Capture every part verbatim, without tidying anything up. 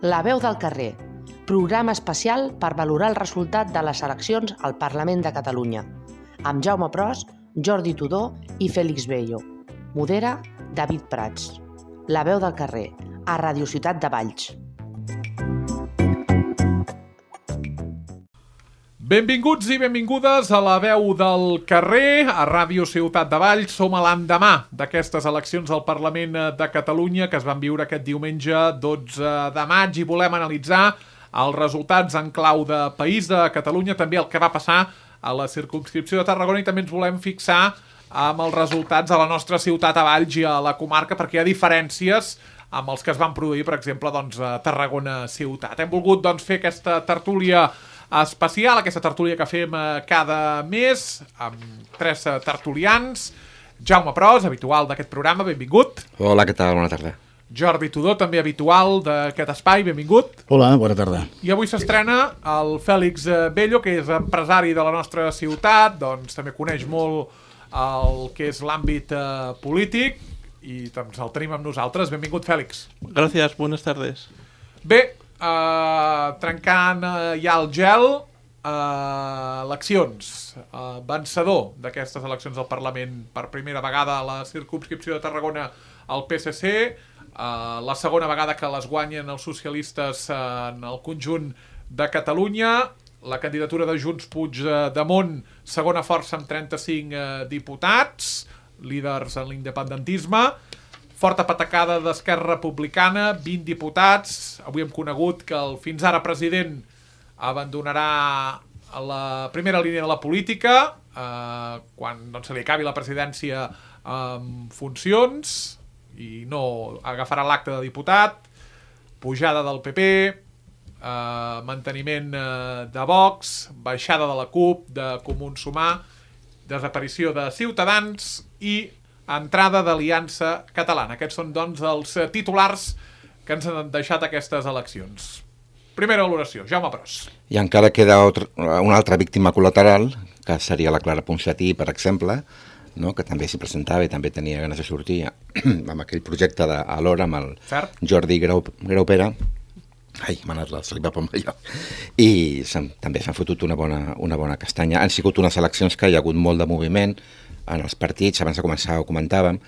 La veu del carrer, programa especial per valorar el resultat de les eleccions al Parlament de Catalunya, amb Jaume Pros, Jordi Tudó i Fèlix Bello. Modera David Prats. La veu del carrer, a Radio Ciutat de Valls. Benvinguts i benvingudes a La veu del carrer, a Ràdio Ciutat de Valls. Som a l'endemà d'aquestes eleccions al Parlament de Catalunya que es van viure aquest diumenge dotze de maig i volem analitzar els resultats en clau de país de Catalunya, també el que va passar a la circumscripció de Tarragona, i també ens volem fixar amb els resultats a la nostra ciutat a Valls i a la comarca, perquè hi ha diferències amb els que es van produir, per exemple, doncs, a Tarragona ciutat. Hem volgut doncs, fer aquesta tertúlia especial, aquesta tertúlia que fem cada mes, amb tres tertulians. Jaume Pros, habitual d'aquest programa, benvingut. Hola, què tal? Bona tarda. Jordi Tudó, també habitual d'aquest espai, benvingut. Hola, bona tarda. I avui s'estrena el Fèlix Bello, que és empresari de la nostra ciutat, doncs també coneix molt el que és l'àmbit eh, polític, i doncs el tenim amb nosaltres. Benvingut, Fèlix. Gracias, buenas tardes. Bé, Uh, trencant uh, ja el gel, uh, eleccions, uh, vencedor d'aquestes eleccions al Parlament per primera vegada a la circumscripció de Tarragona el P S C, uh, la segona vegada que les guanyen els socialistes uh, en el conjunt de Catalunya, la candidatura de Junts Puigdemont, segona força amb trenta-cinc uh, diputats, líders en l'independentisme, forta patacada d'Esquerra Republicana, vint diputats. Avui hem conegut que el fins ara president abandonarà la primera línia de la política eh, quan doncs, se li acabi la presidència en funcions i no agafarà l'acte de diputat, pujada del P P, eh, manteniment eh, de Vox, baixada de la CUP, de Comuns Sumar, desaparició de Ciutadans i entrada d'Aliança Catalana. Aquests són, doncs, els titulars que ens han deixat aquestes eleccions. Primera valoració, Jaume Pros. I encara queda altra, una altra víctima col·lateral, que seria la Clara Ponsatí, per exemple, no? Que també s'hi presentava i també tenia ganes de sortir amb aquell projecte de, alhora amb el Cert. Jordi Grau, Graupera. Ai, m'ha anat la saliva pel allò. I també s'han fotut una bona, una bona castanya. Han sigut unes eleccions que hi ha hagut molt de moviment en els partits. Abans de començar ho comentàvem,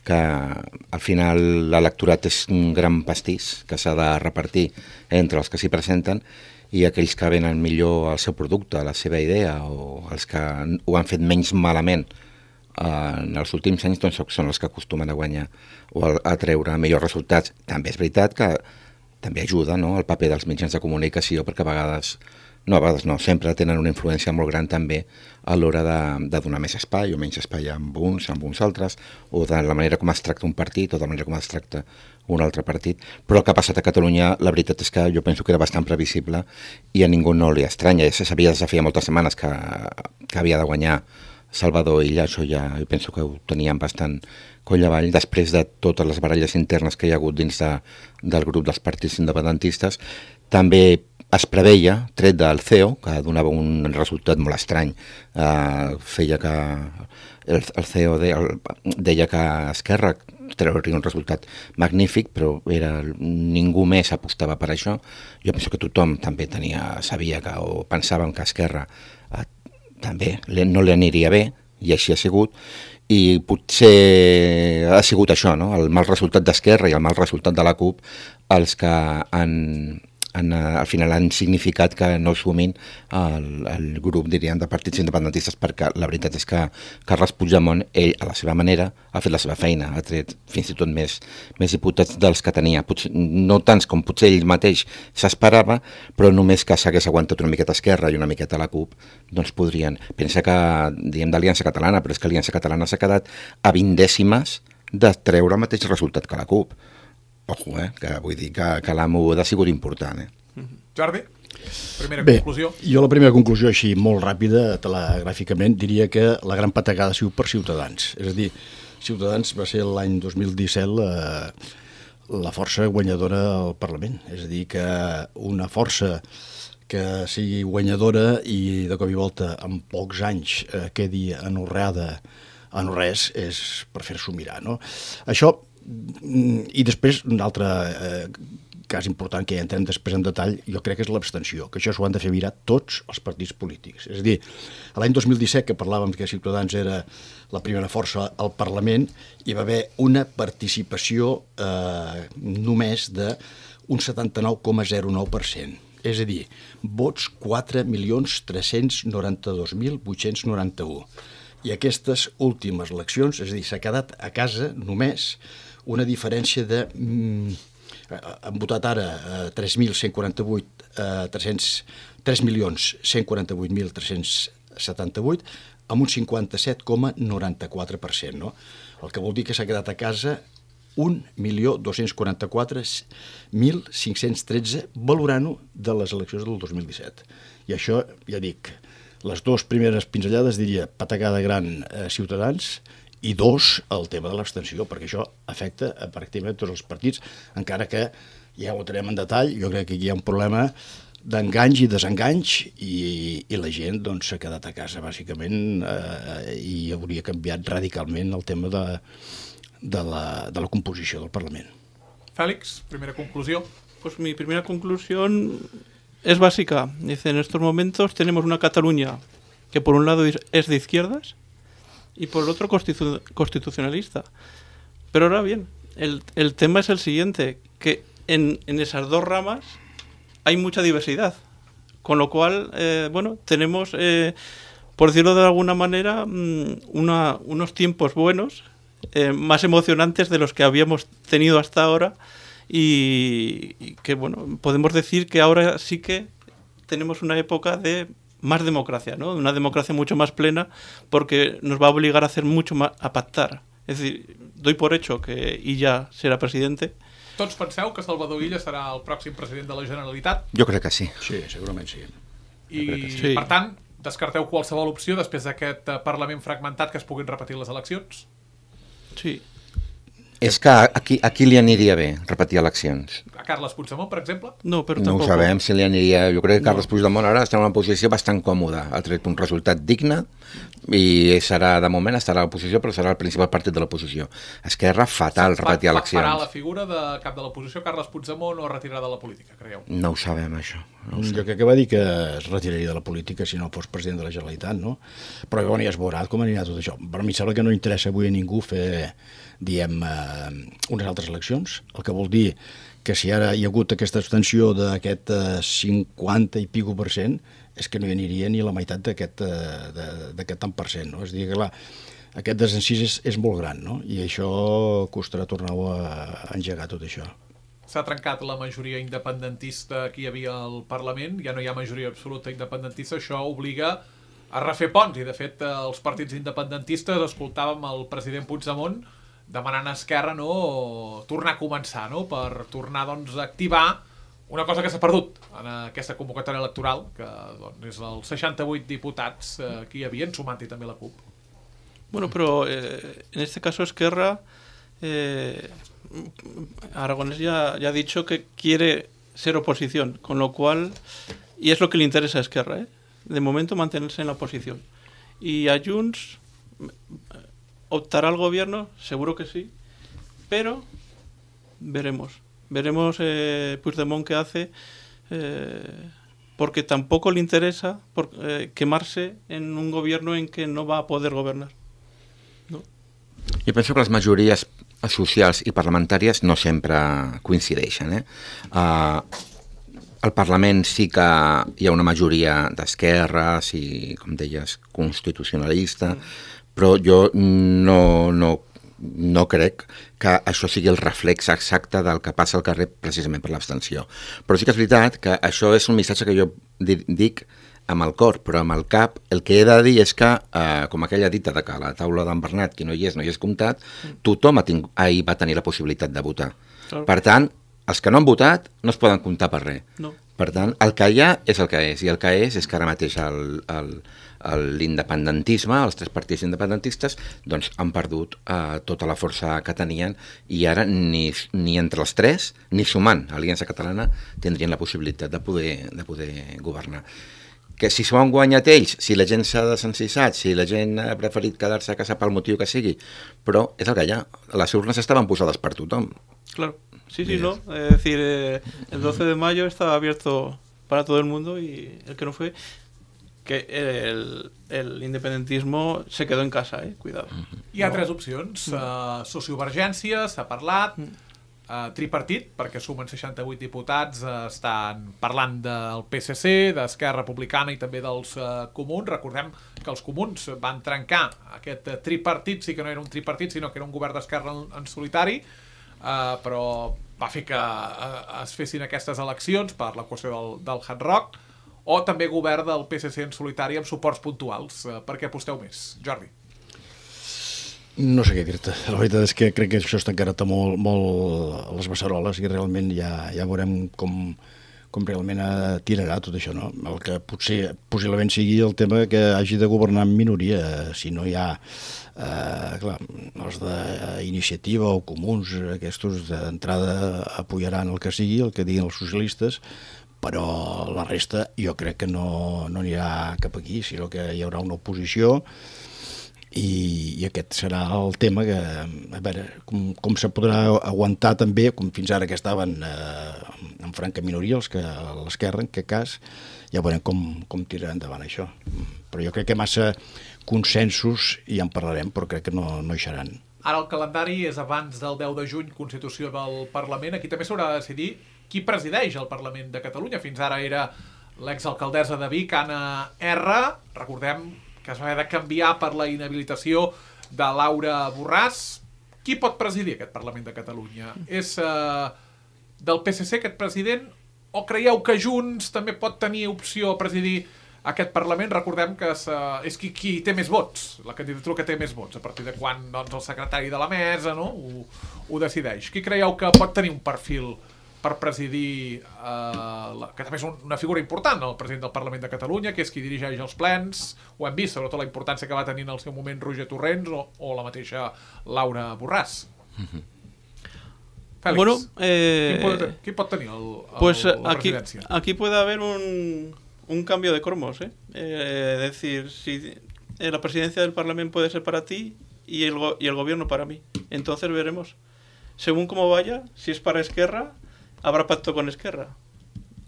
que al final l'electorat és un gran pastís que s'ha de repartir entre els que s'hi presenten i aquells que venen millor el seu producte, la seva idea, o els que ho han fet menys malament en els últims anys, doncs són els que acostumen a guanyar o a treure millors resultats. També és veritat que també ajuda, no?, el paper dels mitjans de comunicació, perquè a vegades, no a vegades no, sempre tenen una influència molt gran també a l'hora de, de donar més espai o menys espai amb uns, amb uns altres, o de la manera com es tracta un partit o de la manera com es tracta un altre partit. Però el que ha passat a Catalunya, la veritat és que jo penso que era bastant previsible i a ningú no li estranya. Ja se sabia des de feia moltes setmanes que, que havia de guanyar Salvador Illa, això ja jo penso que ho tenien bastant coll avall, després de totes les baralles internes que hi ha hagut dins de, del grup dels partits independentistes. També es preveia, tret del C E O, que donava un resultat molt estrany, eh, feia que el, el C E O de, el, deia que Esquerra trauria un resultat magnífic, però era, ningú més apostava per això. Jo penso que tothom també tenia, sabia que, o pensàvem que Esquerra eh, també no li aniria bé, i així ha sigut, i potser ha sigut això, no?, el mal resultat d'Esquerra i el mal resultat de la CUP els que han, han, al final han significat que no sumin el, el grup, diríem, de partits independentistes, perquè la veritat és que Carles Puigdemont, ell, a la seva manera, ha fet la seva feina, ha tret fins i tot més, més diputats dels que tenia, potser, no tants com potser ell mateix s'esperava, però només que s'hagués aguantat una miqueta Esquerra i una miqueta la CUP, doncs podrien. Pensa que, diem d'Aliança Catalana, però és que Aliança Catalana s'ha quedat a vint dècimes de treure el mateix resultat que la CUP. Ojo, eh? Que vull dir que, que la moguda ha sigut important. Eh? Jordi, primera Bé, conclusió. Jo la primera conclusió, així molt ràpida, telegràficament, diria que la gran patacada ha sigut per Ciutadans. És a dir, Ciutadans va ser l'any dos mil disset la, la força guanyadora al Parlament. És a dir, que una força que sigui guanyadora i de cop i volta en pocs anys eh, quedi anorreada a no res és per fer-s'ho mirar, no? Això, i després una altra eh, cas important que ja entrem després en detall, jo crec que és l'abstenció, que això s'ho han de fer mirar tots els partits polítics. És a dir, l'any dos mil disset, que parlàvem que Ciutadans era la primera força al Parlament, hi va haver una participació eh, només d'un setanta-nou coma zero nou per cent. És a dir, vots quatre milions tres-cents noranta-dos mil vuit-cents noranta-u. I aquestes últimes eleccions, és a dir, s'ha quedat a casa només una diferència de... Mm, han votat ara eh, tres mil cent quaranta-vuit, eh, tres milions cent quaranta-vuit mil tres-cents setanta-vuit, amb un cinquanta-set coma noranta-quatre per cent, no? El que vol dir que s'ha quedat a casa un milió dos-cents quaranta-quatre mil cinc-cents tretze, valorant-ho de les eleccions del dos mil disset. I això, ja dic, les dues primeres pinzellades diria patacada gran a Ciutadans, i dos, el tema de l'abstenció, perquè això afecta a pràcticament tots els partits, encara que ja ho entrarem en detall, jo crec que aquí hi ha un problema d'enganys i desenganys i, i la gent doncs, s'ha quedat a casa, bàsicament, eh, i hauria canviat radicalment el tema de, de, la, de la composició del Parlament. Félix, primera conclusió. Pues mi primera conclusión es básica. Dice, en estos momentos tenemos una Cataluña que por un lado es de izquierdas, y por el otro constitu constitucionalista. Pero ahora bien, el, el tema es el siguiente, que en, en esas dos ramas hay mucha diversidad, con lo cual, eh, bueno, tenemos, eh, por decirlo de alguna manera, una, unos tiempos buenos, eh, más emocionantes de los que habíamos tenido hasta ahora, y, y que, bueno, podemos decir que ahora sí que tenemos una época de más democracia, ¿no? Una democracia mucho más plena, porque nos va a obligar a hacer mucho más, a pactar. Es decir, doy por hecho que Illa serà presidente. Tots penseu que Salvador Illa serà el pròxim president de la Generalitat? Jo crec que sí. Sí, segurament sí. I, sí. per tant, descarteu qualsevol opció després d'aquest Parlament fragmentat que es puguin repetir les eleccions? Sí. És que a qui, a qui li aniria bé repetir eleccions? A Carles Puigdemont, per exemple? No, però No ho tampoc. sabem si li aniria... Jo crec que Carles No. Puigdemont ara està en una posició bastant còmoda. Ha tret un resultat digne i serà, de moment, estarà a l'oposició, però serà el principal partit de l'oposició. Esquerra, fatal, repetir Fa, eleccions. farà la figura de cap de l'oposició Carles Puigdemont o retirarà de la política, creieu? No ho sabem, això. No ho Jo sabem. crec que va dir que es retiraria de la política si no fos president de la Generalitat, no? Però bueno, ja es veurà com anirà tot això. Però a mi sembla que no interessa avui a ningú fer, diem, eh, unes altres eleccions, el que vol dir que si ara hi ha hagut aquesta abstenció d'aquest eh, cinquanta i pico per cent, és que no hi aniria ni la meitat d'aquest eh, tant per cent, no? És a dir, que clar, aquest desencís és, és molt gran, no? I això costarà tornar-ho a, a engegar tot això. S'ha trencat la majoria independentista que hi havia al Parlament, ja no hi ha majoria absoluta independentista, això obliga a refer ponts, i de fet els partits independentistes escoltàvem el president Puigdemont demanant a Esquerra, no, tornar a començar, no, per tornar doncs, a activar una cosa que s'ha perdut en aquesta convocatòria electoral, que doncs, és els seixanta-vuit diputats eh, que hi havia, sumant-hi també la CUP. Bueno, pero eh, en este caso Esquerra, eh, Aragonés ya, ya ha dicho que quiere ser oposición, con lo cual, y es lo que le interesa a Esquerra, ¿eh? De momento mantenerse en la oposición. Y a Junts, ¿optará al gobierno? Seguro que sí, pero veremos. Veremos eh, Puigdemont qué hace, eh, porque tampoco le interesa por, eh, quemarse en un gobierno en que no va a poder gobernar. ¿No? Jo penso que les majories socials i parlamentàries no sempre coincideixen. Eh? Uh, al Parlament sí que hi ha una majoria d'esquerres i, com deies, constitucionalista, mm. però jo no, no, no crec que això sigui el reflex exacte del que passa al carrer precisament per l'abstenció. Però sí que és veritat que això és un missatge que jo dic amb el cor, però amb el cap el que he de dir és que, eh, com aquella dita de que a la taula d'en Bernat qui no hi és, no hi és comptat, tothom ha tingut, ahir va tenir la possibilitat de votar. Claro. Per tant, els que no han votat no es poden comptar per res. No. Per tant, el que hi ha és el que és, i el que és és que ara mateix l'independentisme, els tres partits independentistes, doncs han perdut eh, tota la força que tenien, i ara ni, ni entre els tres, ni sumant Aliança Catalana, tindrien la possibilitat de poder, de poder governar. Que si s'ho han guanyat ells, si la gent s'ha desencissat, si la gent ha preferit quedar-se a casa pel motiu que sigui, però és el que hi ha. Les urnes estaven posades per tothom. Claro. Sí, sí, no. Es decir, eh, el doce de mayo estaba abierto para todo el mundo y el que no fue, que el, el independentismo se quedó en casa, eh? Cuidado. Hi ha no. tres opcions. Uh, sociovergència, s'ha parlat, uh, tripartit, perquè sumen seixanta-vuit diputats, uh, estan parlant del P S C, d'Esquerra Republicana i també dels uh, comuns. Recordem que els comuns van trencar aquest uh, tripartit, sí que no era un tripartit, sinó que era un govern d'esquerra en, en solitari, uh, però va fer que uh, es fessin aquestes eleccions per la qüestió del, del Hard Rock, o també govern del P S C en solitari amb suports puntuals. Uh, per què aposteu més? Jordi? No sé què dir-te. La veritat és que crec que això està encara molt, molt a les beceroles i realment ja, ja veurem com, com realment tirarà tot això, no? El que potser possiblement sigui el tema que hagi de governar en minoria, si no hi ha eh, clar, els d'iniciativa o comuns, aquests d'entrada apoyaran el que sigui, el que diguin els socialistes, però la resta jo crec que no, no anirà cap aquí, sinó que hi haurà una oposició i, i aquest serà el tema que, a veure, com, com se podrà aguantar també, com fins ara que estaven eh, en franca minoria, els que a l'esquerra, en aquest cas, ja veurem com, com tirarà endavant això. Però jo crec que massa consensos i ja en parlarem, però crec que no, no hi seran. Ara el calendari és abans del deu de juny, Constitució del Parlament. Aquí també s'haurà de decidir qui presideix el Parlament de Catalunya. Fins ara era l'exalcaldessa de Vic, Anna R. Recordem que es va haver de canviar per la inhabilitació de Laura Borràs. Qui pot presidir aquest Parlament de Catalunya? És uh, del P S C aquest president? O creieu que Junts també pot tenir opció a presidir aquest Parlament? Recordem que és, uh, és qui, qui té més vots, la candidatura que té més vots, a partir de quan doncs, el secretari de la mesa no, ho, ho decideix. Qui creieu que pot tenir un perfil per presidir, eh, la, que també és una figura important, el president del Parlament de Catalunya, que és qui dirigeix els plens? Ho hem vist, sobretot la importància que va tenir en el seu moment Roger Torrents o, o la mateixa Laura Borràs. Mm-hmm. Félix, bueno, eh, ¿quién, puede, ¿quién pot tenir el, el, pues la aquí, presidencia? Aquí puede haber un, un cambio de cromos, ¿eh? Eh, es decir, si eh, la presidencia del Parlamento puede ser para ti y el, go y el gobierno para mí. Entonces veremos. Según cómo vaya, si es para Esquerra, habrá pacto con Esquerra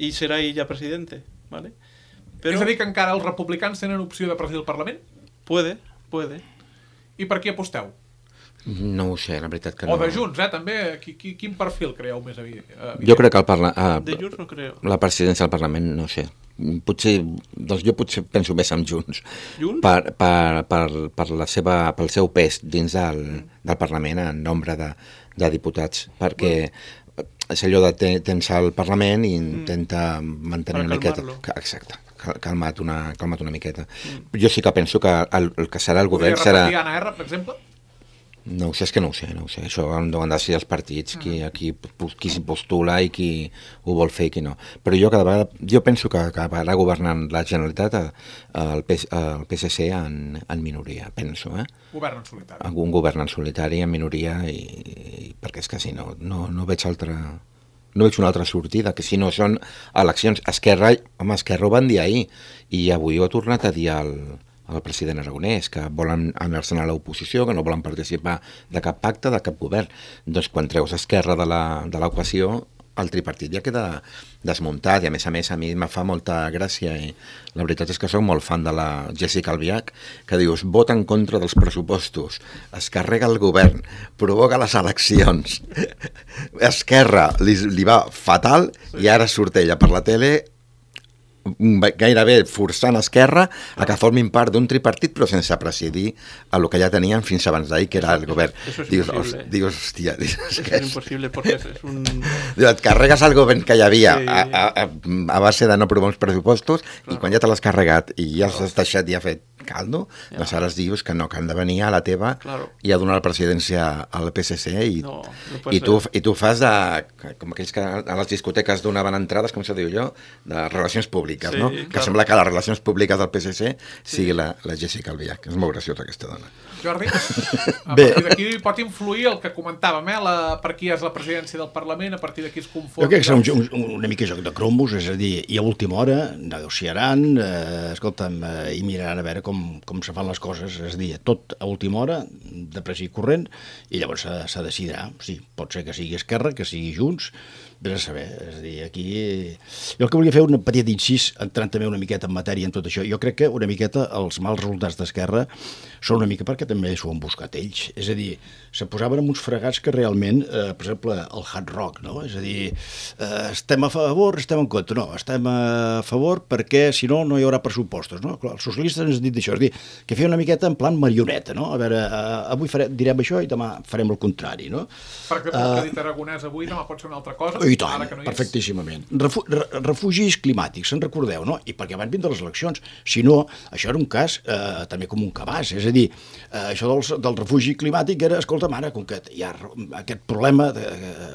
i serà ell ja presidente, ¿vale? Però... És a dir que encara els republicans tenen opció de presidir el Parlament? Puede, puede. I per qui aposteu? No ho sé, la veritat que no. O de Junts, eh, també. Qui, qui, quin perfil creieu més evident? Jo crec que el parla... ah, de Junts no creo. La presidència del Parlament, no sé. Potser, doncs jo potser penso més en Junts. Junts? Per, per, per, per la seva, pel seu pes dins del, del Parlament en nombre de, de diputats, perquè... Bueno. És allò de ten, tens al Parlament i intenta mm. mantenir una miqueta. Exacte, calmat una, calmat una miqueta. Mm. Jo sí que penso que el, el que serà el govern serà... Podria repetir Anna R, per exemple? No ho sé, és que no ho sé, no ho sé. Això han de decidir els partits, qui, qui, qui s'hi postula i qui ho vol fer i qui no. Però jo cada vegada, jo penso que acabarà governant la Generalitat el P S C en, en minoria, penso, eh? Govern en solitari. Un govern en solitari, en minoria, i, i perquè és que si no, no, no veig altra... No veig una altra sortida, que si no són eleccions. Esquerra, home, Esquerra ho van dir ahir, i avui ho ha tornat a dir el... el president Aragonès, que volen anar-se'n a l'oposició, que no volen participar de cap pacte, de cap govern. Doncs quan treus Esquerra de l'equació, el tripartit ja queda desmuntat, i a més a més a mi me fa molta gràcia, i la veritat és que soc molt fan de la Jéssica Albiach, que dius, vota en contra dels pressupostos, es carrega el govern, provoca les eleccions, Esquerra li, li va fatal, i ara surt ella per la tele gairebé forçant Esquerra a que formin part d'un tripartit però sense presidir a lo que ja tenien fins abans d'ahir, que era el govern. Eso es dius, imposible. Os, dius, hòstia... Dius, Eso es imposible porque es un... Dius, et carregues el govern que hi havia sí. a, a, a base de no provar uns pressupostos, clar. I quan ja te l'has carregat i ja has deixat i ha fet caldo, ja. Doncs ara dius que no, que han de venir a la teva, claro. I a donar la presidència al P S C i, no, no i, tu, i tu fas de... com aquells que a les discoteques donaven entrades, com se diu jo, de relacions públiques, sí, no? Claro. Que sembla que les relacions públiques del P S C sigui sí. la, la Jéssica Albiach, que és molt graciosa aquesta dona. Jordi, a partir d'aquí pot influir el que comentàvem, eh? La, per qui és la presidència del Parlament, a partir d'aquí es conforma... Jo crec que serà un, un, una mica joc de cromos, és a dir, i a última hora negociaran, eh, escolta'm, eh, i miraran a veure com com, com se fan les coses, és a dir, tot a última hora, de pressa i corrent, i llavors se, se decidirà. Sí, pot ser que sigui Esquerra, que sigui Junts, vés a saber. És a dir, aquí... Jo el que volia fer un petit incís, entrant també una miqueta en matèria en tot això. Jo crec que una miqueta els mals resultats d'Esquerra són una mica perquè també s'ho han buscat ells. És a dir, se posaven en uns fregats que realment, eh, per exemple, el hard rock, no? És a dir, eh, estem a favor, estem en contra. No, estem a favor perquè, si no, no hi haurà pressupostos, no? Clar, els socialistes ens han dit això, és a dir, que feia una miqueta en plan marioneta, no? A veure, eh, avui farem, direm això i demà farem el contrari, no? Per exemple, el que ha dit Aragonès avui demà pot ser una altra cosa. I tant, no perfectíssimament. Refu refugis climàtics, se'n recordeu, no? I perquè van vindre les eleccions. Si no, això era un cas eh, també com un cabàs. És a dir, eh, això dels, del refugi climàtic era, escolta, mare, com que hi ha aquest problema, de,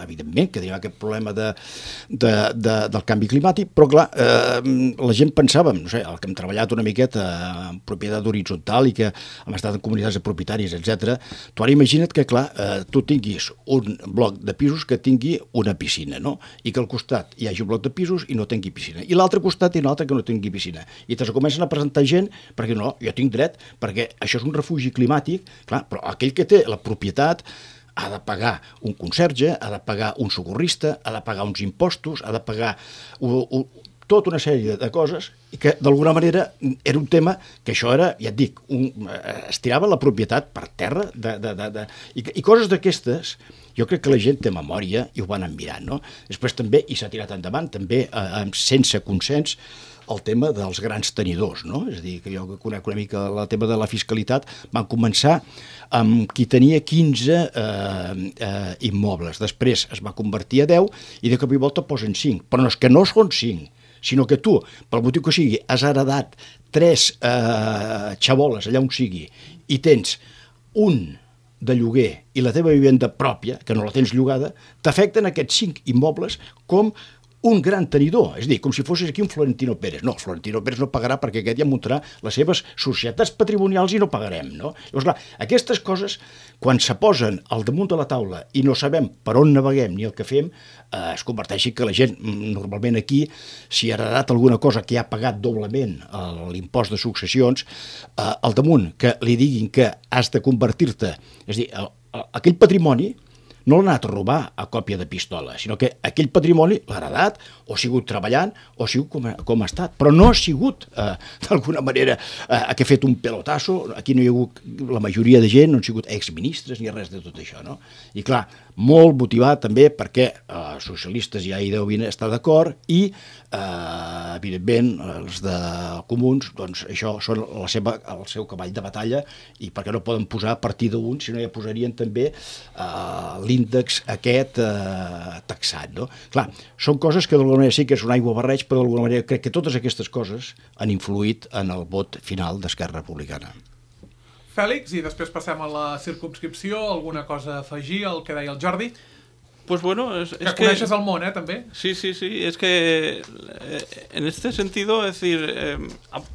evidentment que tenim aquest problema de, de, de, del canvi climàtic, però clar, eh, la gent pensàvem, no sé, el que hem treballat una miqueta en propietat horitzontal i que hem estat en comunitats de propietaris, etcètera. Tu ara imagina't que, clar, eh, tu tinguis un bloc de pisos que tingui una piscina, no? I que al costat hi hagi un bloc de pisos i no tingui piscina. I l'altre costat i un altre que no tingui piscina. I te comencen a presentar gent perquè no, jo tinc dret, perquè això és un refugi climàtic, clar, però aquell que té la propietat ha de pagar un conserge, ha de pagar un socorrista, ha de pagar uns impostos, ha de pagar un, un, tota una sèrie de coses i que d'alguna manera era un tema que això era, ja et dic, un, es tirava la propietat per terra de, de, de, de, i, i coses d'aquestes. Jo crec que la gent té memòria i ho van mirant, no? Després també, i s'ha tirat endavant, també eh, sense consens, el tema dels grans tenidors, no? És a dir, que jo conec una mica el tema de la fiscalitat, van començar amb qui tenia quinze eh, eh, immobles, després es va convertir a deu i de cop i volta posen cinc, però no és que no són cinc, sinó que tu, pel motiu que sigui, has heredat tres eh, xaboles allà on sigui i tens un de lloguer i la teva vivenda pròpia, que no la tens llogada, t'afecten aquests cinc immobles com un gran tenidor, és a dir, com si fossis aquí un Florentino Pérez. No, Florentino Pérez no pagarà perquè aquest ja muntarà les seves societats patrimonials i no pagarem, no? Llavors, clar, aquestes coses, quan se posen al damunt de la taula i no sabem per on naveguem ni el que fem, eh, es converteixi que la gent, normalment aquí, si ha heredat alguna cosa que ha pagat doblement l'impost de successions, eh, al damunt que li diguin que has de convertir-te, és a dir, el, el, aquell patrimoni no l'ha anat a robar a còpia de pistola, sinó que aquell patrimoni l'ha heredat, o ha sigut treballant, o ha sigut com ha, com ha estat, però no ha sigut, eh, d'alguna manera, eh, que ha fet un pelotasso. Aquí no hi ha hagut, la majoria de gent no han sigut exministres ni res de tot això, no? I clar, molt motivat també perquè els eh, socialistes ja hi deuen estar d'acord i, eh, evidentment, els de comuns, doncs això són la seva, el seu cavall de batalla i perquè no poden posar a partir d'un, sinó ja posarien també eh, l'índex aquest eh, taxat, no? Clar, són coses que d'alguna manera sí que és un aigua barreig, però d'alguna manera crec que totes aquestes coses han influït en el vot final d'Esquerra Republicana. Fèlix, i després passem a la circumscripció, alguna cosa a afegir al que deia el Jordi? Pues bueno, es, que es coneixes que... el món, eh, també? Sí, sí, sí, es que eh, en este sentido, es decir, eh,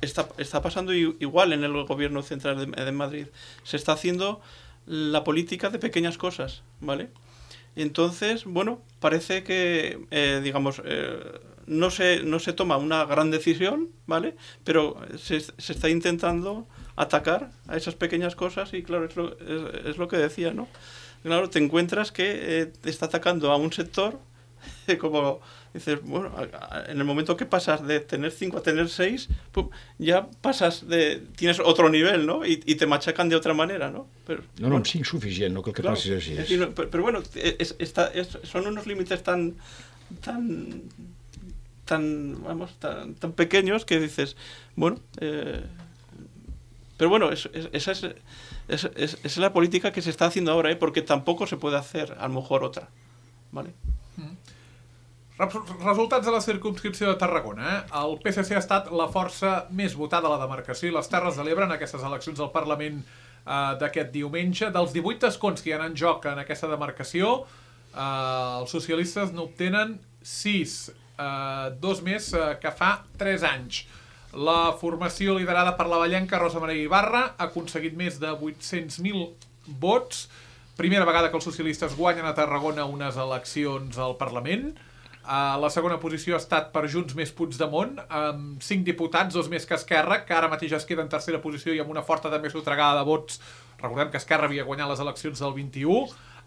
está, está pasando igual en el gobierno central de, de Madrid. Se está haciendo la política de pequeñas cosas, ¿vale? Entonces, bueno, parece que, eh, digamos, eh, no se, no se toma una gran decisión, ¿vale? Pero se, se está intentando atacar a esas pequeñas cosas y, claro, es lo, es, es lo que decía, ¿no? Claro, te encuentras que eh, te está atacando a un sector, eh, como dices, bueno, en el momento que pasas de tener cinco a tener seis, pum, ya pasas de, tienes otro nivel, ¿no? Y, y te machacan de otra manera, ¿no? Pero, no, no, bueno, sí, suficiente, no creo que claro, pases así. Es decir, pero, pero bueno, es, está, es, son unos límites tan, tan, tan, vamos, tan, tan pequeños que dices, bueno, eh, pero bueno, es, es, esa es, es, es, es la política que se está haciendo ahora, ¿eh? Porque tampoco se puede hacer, a lo mejor, otra, ¿vale? Resultats de la circumscripció de Tarragona. Eh? El P S C ha estat la força més votada a la demarcació i les Terres de l'Ebre en aquestes eleccions al Parlament eh, d'aquest diumenge. Dels divuit escons que hi ha en joc en aquesta demarcació, eh, els socialistes n'obtenen sis, eh, dos més eh, que fa tres anys. La formació liderada per la vallenca Rosa Maria Ibarra ha aconseguit més de vuit-cents mil vots. Primera vegada que els socialistes guanyen a Tarragona unes eleccions al Parlament. Uh, la segona posició ha estat per Junts més Puigdemont, amb cinc diputats, dos més que Esquerra, que ara mateix es queda en tercera posició i amb una forta també sotregada de vots. Recordem que Esquerra havia guanyat les eleccions del vint-i-u.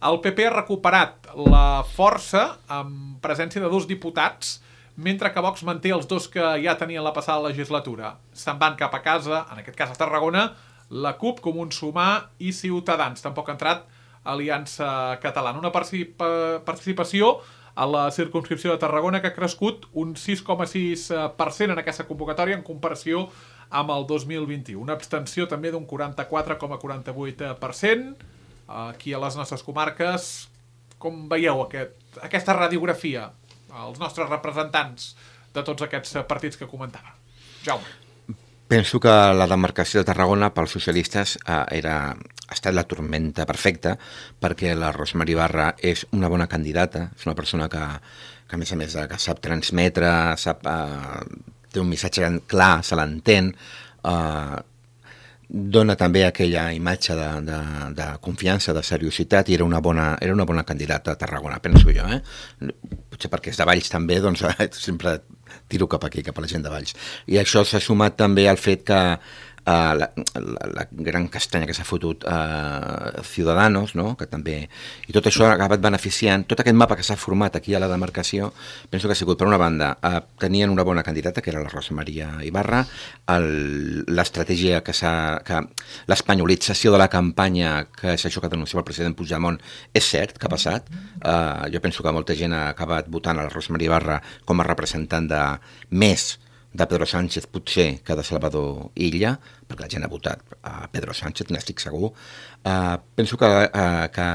El P P ha recuperat la força amb presència de dos diputats, mentre que Vox manté els dos que ja tenien la passada legislatura. Se'n van cap a casa, en aquest cas a Tarragona, la CUP, Comuns Sumar i Ciutadans. Tampoc ha entrat Aliança Catalana. Una participa- participació a la circumscripció de Tarragona que ha crescut un sis coma sis per cent en aquesta convocatòria en comparació amb el dos mil vint-i-u. Una abstenció també d'un quaranta-quatre coma quaranta-vuit per cent. Aquí a les nostres comarques, com veieu aquest, aquesta radiografia, els nostres representants de tots aquests partits que comentava? Jaume. Penso que la demarcació de Tarragona pels socialistes eh, era, ha estat la tormenta perfecta, perquè la Rosemary Ibarra és una bona candidata, és una persona que, que a més a més que sap transmetre, sap, eh, té un missatge clar, se l'entén, eh, dona també aquella imatge de, de, de confiança, de seriositat, i era una bona, era una bona candidata a Tarragona, penso jo. Eh? Potser perquè és de Valls també, doncs sempre tiro cap aquí, cap a la gent de Valls. I això s'ha sumat també al fet que Uh, la, la, la gran castanya que s'ha fotut uh, Ciudadanos, no? Que també, i tot això ha acabat beneficiant, tot aquest mapa que s'ha format aquí a la demarcació, penso que ha sigut, per una banda, uh, tenien una bona candidata, que era la Rosa Maria Ibarra, l'estratègia que s'ha, que l'espanyolització de la campanya, que és això que denunciava el president Puigdemont, és cert que ha passat. Uh, jo penso que molta gent ha acabat votant a la Rosa Maria Ibarra com a representant de més de Pedro Sánchez potser que de Salvador Illa, perquè la gent ha votat a Pedro Sánchez, n'estic segur. Uh, penso que, uh, que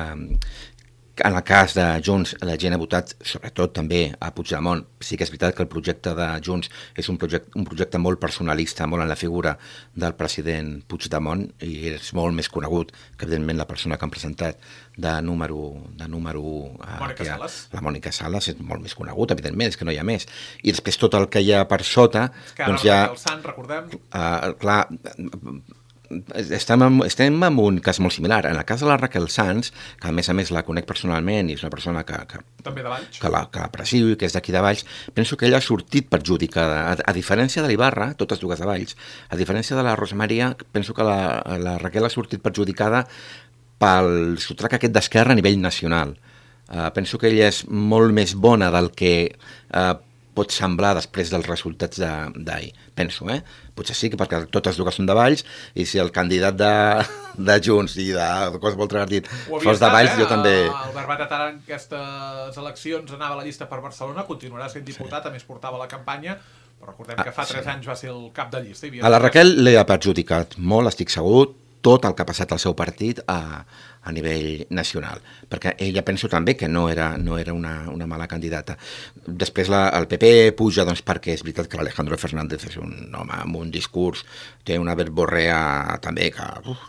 en el cas de Junts la gent ha votat sobretot també a Puigdemont. Sí que és veritat que el projecte de Junts és un projecte, un projecte molt personalista, molt en la figura del president Puigdemont, i és molt més conegut que evidentment la persona que han presentat de número, de número uh, Mònica ha, Sales. La Mònica Sales és molt més conegut, evidentment, és que no hi ha més. I després tot el que hi ha per sota, és que doncs hi ha... el Sant, recordem... Uh, clar, estem en, estem en un cas molt similar. En el cas de la Raquel Sanz, que a més a més la conec personalment i és una persona que, que, també de Valls, que l'aprecio i que és d'aquí de Valls, penso que ella ha sortit perjudicada. A, a diferència de l'Ibarra, totes dues de Valls, a diferència de la Rosa Maria, penso que la, la Raquel ha sortit perjudicada pel sotrac aquest d'Esquerra a nivell nacional. Uh, penso que ella és molt més bona del que uh, pot semblar després dels resultats d'ahir, penso, eh? Potser sí, que perquè totes dues són de Valls, i si el candidat de, de Junts i de, de qualsevol altre partit fos de Valls, eh? Jo també... El Barbat Atara en aquestes eleccions anava a la llista per Barcelona, continuarà sent diputat, sí. A més portava la campanya, però recordem que fa tres ah, sí. anys va ser el cap de llista. A la Raquel li ha perjudicat molt, estic segur, tot el que ha passat al seu partit a, a nivell nacional, perquè ella penso també que no era, no era una, una mala candidata. Després la, el P P puja doncs, perquè és veritat que l'Alejandro Fernández és un home amb un discurs, té una verborrea també que, uf,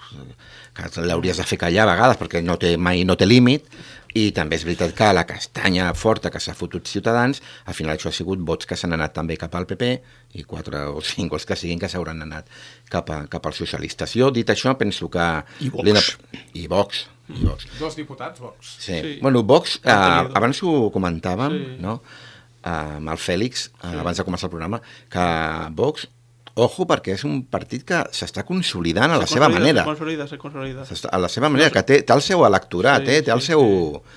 que l'hauries de fer callar a vegades perquè no té, mai no té límit, i també és veritat que la castanya forta que s'ha fotut Ciutadans, al final això ha sigut vots que s'han anat també cap al P P, i quatre o cinc els que siguin que s'hauran anat cap, a, cap als socialistes. Jo, dit això, penso que... I Vox. I Vox. I Vox. Dos diputats, Vox. Sí. sí. Bueno, Vox, eh, abans ho comentàvem, sí. No? Eh, amb el Fèlix, eh, sí. Abans de començar el programa, que Vox, ojo, perquè és un partit que s'està consolidant a la seva manera. Se consolida, se consolida. A la seva manera, que té, té el seu electorat, sí, eh? Té el seu,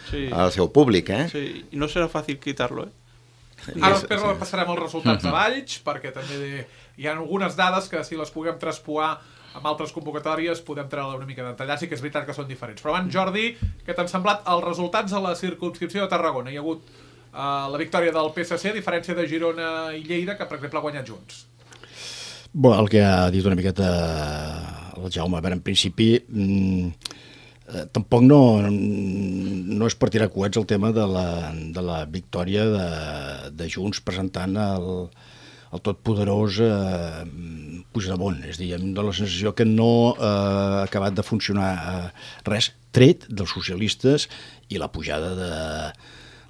sí. El seu públic, eh? Sí, i no serà fàcil quitar-lo, eh? Ara després sí. Passarem els resultats a Valls, perquè també hi ha algunes dades que si les puguem traspoar amb altres convocatòries podem treure una mica d'entallar, sí que és veritat que són diferents. Però abans, Jordi, què t'han semblat els resultats a la circumscripció de Tarragona? Hi ha hagut uh, la victòria del P S C, a diferència de Girona i Lleida, que per exemple ha guanyat Junts. Bé, el que ha dit una miqueta el Jaume, a veure, en principi mmm, eh, tampoc no, no és per tirar coets el tema de la, de la victòria de, de Junts presentant el, el totpoderós eh, Puigdemont. És a dir, em dóna la sensació que no eh, ha acabat de funcionar eh, res, tret dels socialistes i la pujada de,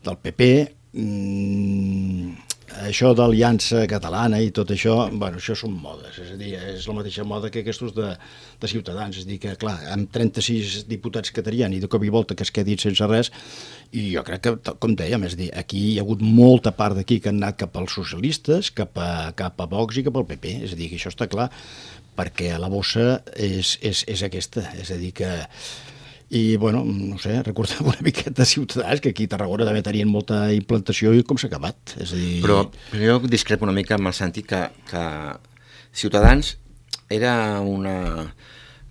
del P P. Mm, això d'aliança catalana i tot això, bueno, això són modes, és a dir, és la mateixa moda que aquests de, de Ciutadans, és a dir, que clar, amb trenta-sis diputats que tenien i de cop i volta que es quedin sense res, i jo crec que, com dèiem, és a dir, aquí hi ha hagut molta part d'aquí que han anat cap als socialistes, cap a, cap a Vox i cap al P P, és a dir, que això està clar, perquè la bossa és, és, és aquesta, és a dir, que... I, bueno, no sé, recordem una miqueta de Ciutadans, que aquí a Tarragona també tenien molta implantació i com s'ha acabat. És a dir... Però, però jo discrepo una mica amb el sentit que, que Ciutadans era una,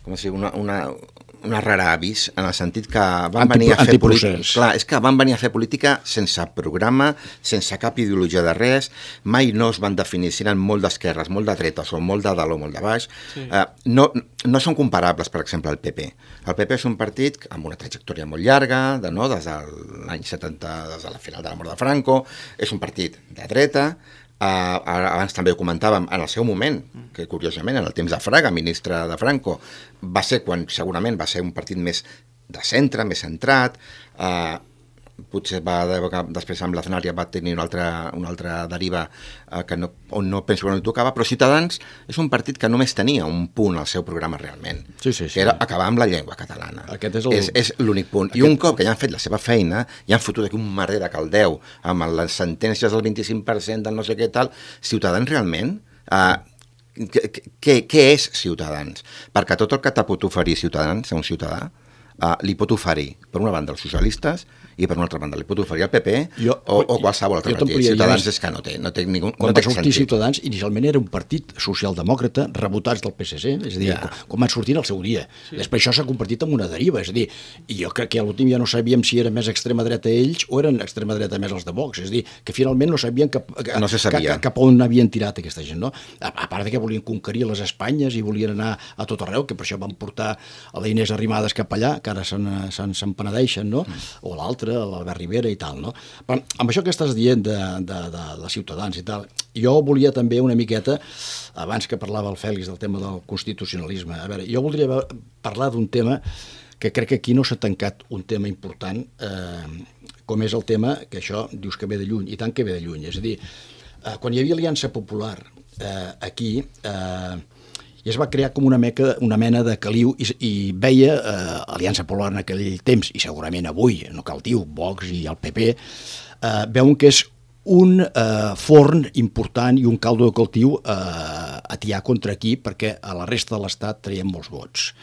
com es diu, una, una, una rara avis, en el sentit que van Anti, venir a fer política. Clar, és que van venir a fer política sense programa, sense cap ideologia de res, mai no es van definir si eren molt d'esquerres, molt de dretes o molt de dalt o molt de baix. Sí. Uh, no, no són comparables, per exemple, al P P. El P P és un partit amb una trajectòria molt llarga, de, no, des de l'any setanta, des de la final de la mort de Franco, és un partit de dreta. Uh, abans també ho comentàvem, en el seu moment, que curiosament en el temps de Fraga, ministre de Franco, va ser quan segurament va ser un partit més de centre, més centrat, uh, potser va, després amb l'Aznar ja va tenir una altra, una altra deriva uh, que no, on no penso que no hi tocava, però Ciutadans és un partit que només tenia un punt al seu programa realment, sí, sí, sí. que era acabar amb la llengua catalana. Aquest és el... És, és l'únic punt. Aquest... I un cop que ja han fet la seva feina, ja han fotut aquí un merder de caldeu amb les sentències del vint-i-cinc per cent del no sé què tal, Ciutadans realment... Uh, què, què és Ciutadans? Perquè tot el que te pot oferir Ciutadans a un ciutadà uh, li pot oferir, per una banda, els socialistes i per una altra banda li pot oferir el P P jo, o, o qualsevol altre partit. Ciutadans és que no té, no té ningú, quan va sortir Ciutadans, inicialment era un partit socialdemòcrata rebotats del P S C, és a dir, ja. com, com van sortir al seu dia. Sí. Després això s'ha convertit en una deriva, és a dir, i jo crec que a l'últim ja no sabíem si era més extrema dreta ells o eren extrema dreta més els de Vox, és a dir, que finalment no sabien cap, no se sabia. cap, cap on havien tirat aquesta gent, no? A, a part de que volien conquerir les Espanyes i volien anar a tot arreu, que per això van portar a la Inés Arrimadas cap allà, que ara se'n, se'n, se'n penedeixen, no? Mm. O l'altre, l'Albert Rivera i tal, no? Però amb això que estàs dient de, de, de, de Ciutadans i tal, jo volia també una miqueta, abans que parlava el Fèlix del tema del constitucionalisme, a veure, jo voldria parlar d'un tema que crec que aquí no s'ha tancat un tema important, eh, com és el tema, que això dius que ve de lluny, i tant que ve de lluny, és a dir, eh, quan hi havia Aliança Popular eh, aquí, eh, i es va crear com una, meca, una mena de caliu i, i veia eh, Aliança Popular en aquell temps, i segurament avui, no cal dir, Vox i el P P, eh, veuen que és un eh, forn important i un caldo de cultiu eh, a tiar contra aquí, perquè a la resta de l'Estat traiem molts vots.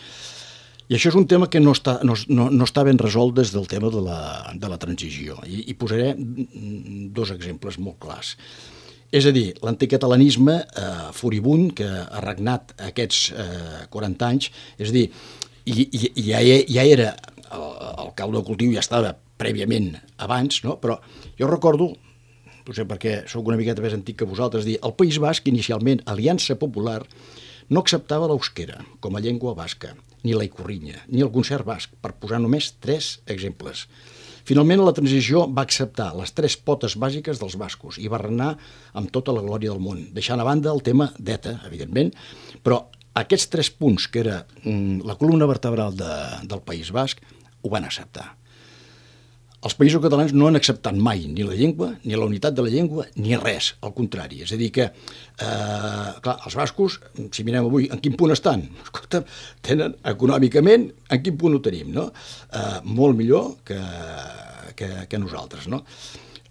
I això és un tema que no està, no, no, no està ben resolt des del tema de la, de la transició. I, i posaré dos exemples molt clars. És a dir, l'anticatalanisme eh, furibund que ha regnat aquests eh, quaranta anys, és a dir, i, i, i ja, ja era, el, el caldo de cultiu ja estava prèviament abans, no? Però jo recordo, potser perquè sóc una miqueta més antic que vosaltres, dir, el País Basc, inicialment, Aliança Popular, no acceptava l'euskera com a llengua basca, ni la icorrinya, ni el concert basc, per posar només tres exemples. Finalment, la transició va acceptar les tres potes bàsiques dels bascos i va regnar amb tota la glòria del món, deixant a banda el tema d'ETA, evidentment, però aquests tres punts, que era mm, la columna vertebral de, del País Basc, ho van acceptar. Els països catalans no han acceptat mai ni la llengua, ni la unitat de la llengua, ni res, al contrari. És a dir que, eh, clar, els bascos, si mirem avui, en quin punt estan? Escolta, tenen econòmicament, en quin punt ho tenim, no? Eh, molt millor que, que, que nosaltres, no?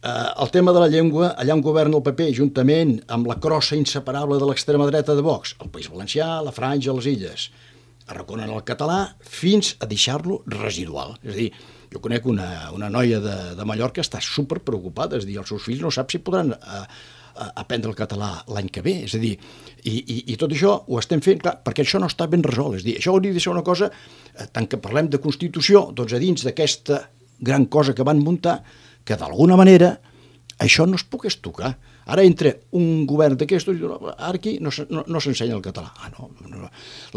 Eh, el tema de la llengua, allà on governa el P P, juntament amb la crossa inseparable de l'extrema dreta de Vox, el País Valencià, la Franja, les Illes, arraconen el català fins a deixar-lo residual. És a dir, jo conec una, una noia de, de Mallorca que està super preocupada, és a dir, els seus fills no sap si podran a, a aprendre el català l'any que ve, és a dir, i, i, i tot això ho estem fent, clar, perquè això no està ben resolt, és a dir, això hauria de ser una cosa, eh, tant que parlem de Constitució, doncs a dins d'aquesta gran cosa que van muntar, que d'alguna manera això no es pogués tocar. Ara entra un govern d'aquests i diu, ara aquí no, no, no s'ensenya el català. Ah, no, no,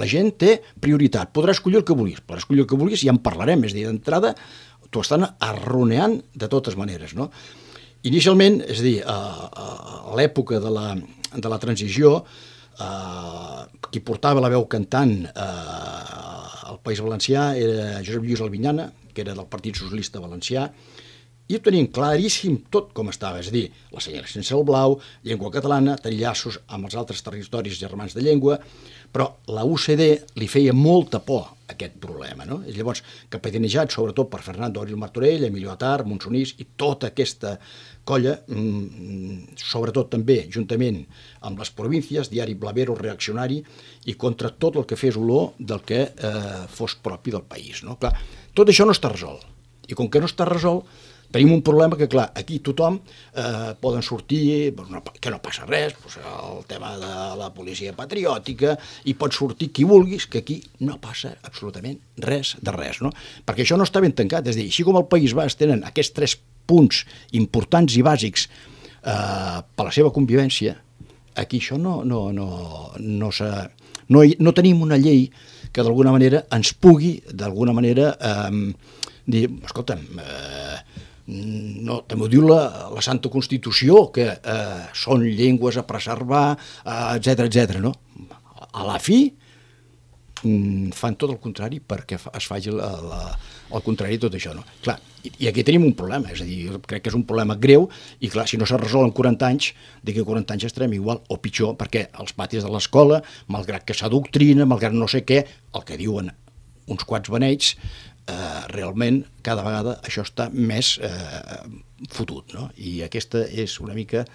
la gent té prioritat, podrà escollir el que vulguis, podrà escollir el que vulguis i ja en parlarem, és a dir, d'entrada t'ho estan arroneant de totes maneres, no? Inicialment, és a dir, a, a l'època de la, de la transició, eh, qui portava la veu cantant eh, al País Valencià era Josep Lluís Albinyana, que era del Partit Socialista Valencià, i ho tenim claríssim tot com estava, és a dir, la senyera sense el blau, llengua catalana, tenir llaços amb els altres territoris germans de llengua, però la U C D li feia molta por aquest problema, no? I llavors, capitanejat sobretot per Fernando Abril Martorell, Emilio Atar, Monsonís i tota aquesta colla, mmm, sobretot també, juntament amb les províncies, diari blavero, reaccionari, i contra tot el que fes olor del que eh, fos propi del país, no? Clar, tot això no està resolt. I com que no està resolt, tenim un problema que, clar, aquí tothom eh, poden sortir, que no passa res, doncs el tema de la policia patriòtica, i pot sortir qui vulguis, que aquí no passa absolutament res de res, no? Perquè això no està ben tancat, és a dir, així com el País Basc tenen aquests tres punts importants i bàsics eh, per la seva convivència, aquí això no, no, no, no, no, no tenim una llei que d'alguna manera ens pugui, d'alguna manera, eh, dir, escolta'm, eh, no, també ho diu la, la Santa Constitució, que eh, són llengües a preservar, etcètera, eh, etcètera, no? A la fi, mm, fan tot el contrari perquè es faci la, la, el contrari de tot això, no? Clar, i, i aquí tenim un problema, és a dir, crec que és un problema greu, i clar, si no s'ha resolt en quaranta anys, d'aquí a quaranta anys estarem igual o pitjor, perquè els patis de l'escola, malgrat que s'adoctrina, malgrat no sé què, el que diuen uns quants beneits, Uh, realment cada vegada això està més uh, fotut, no? I aquesta és una mica,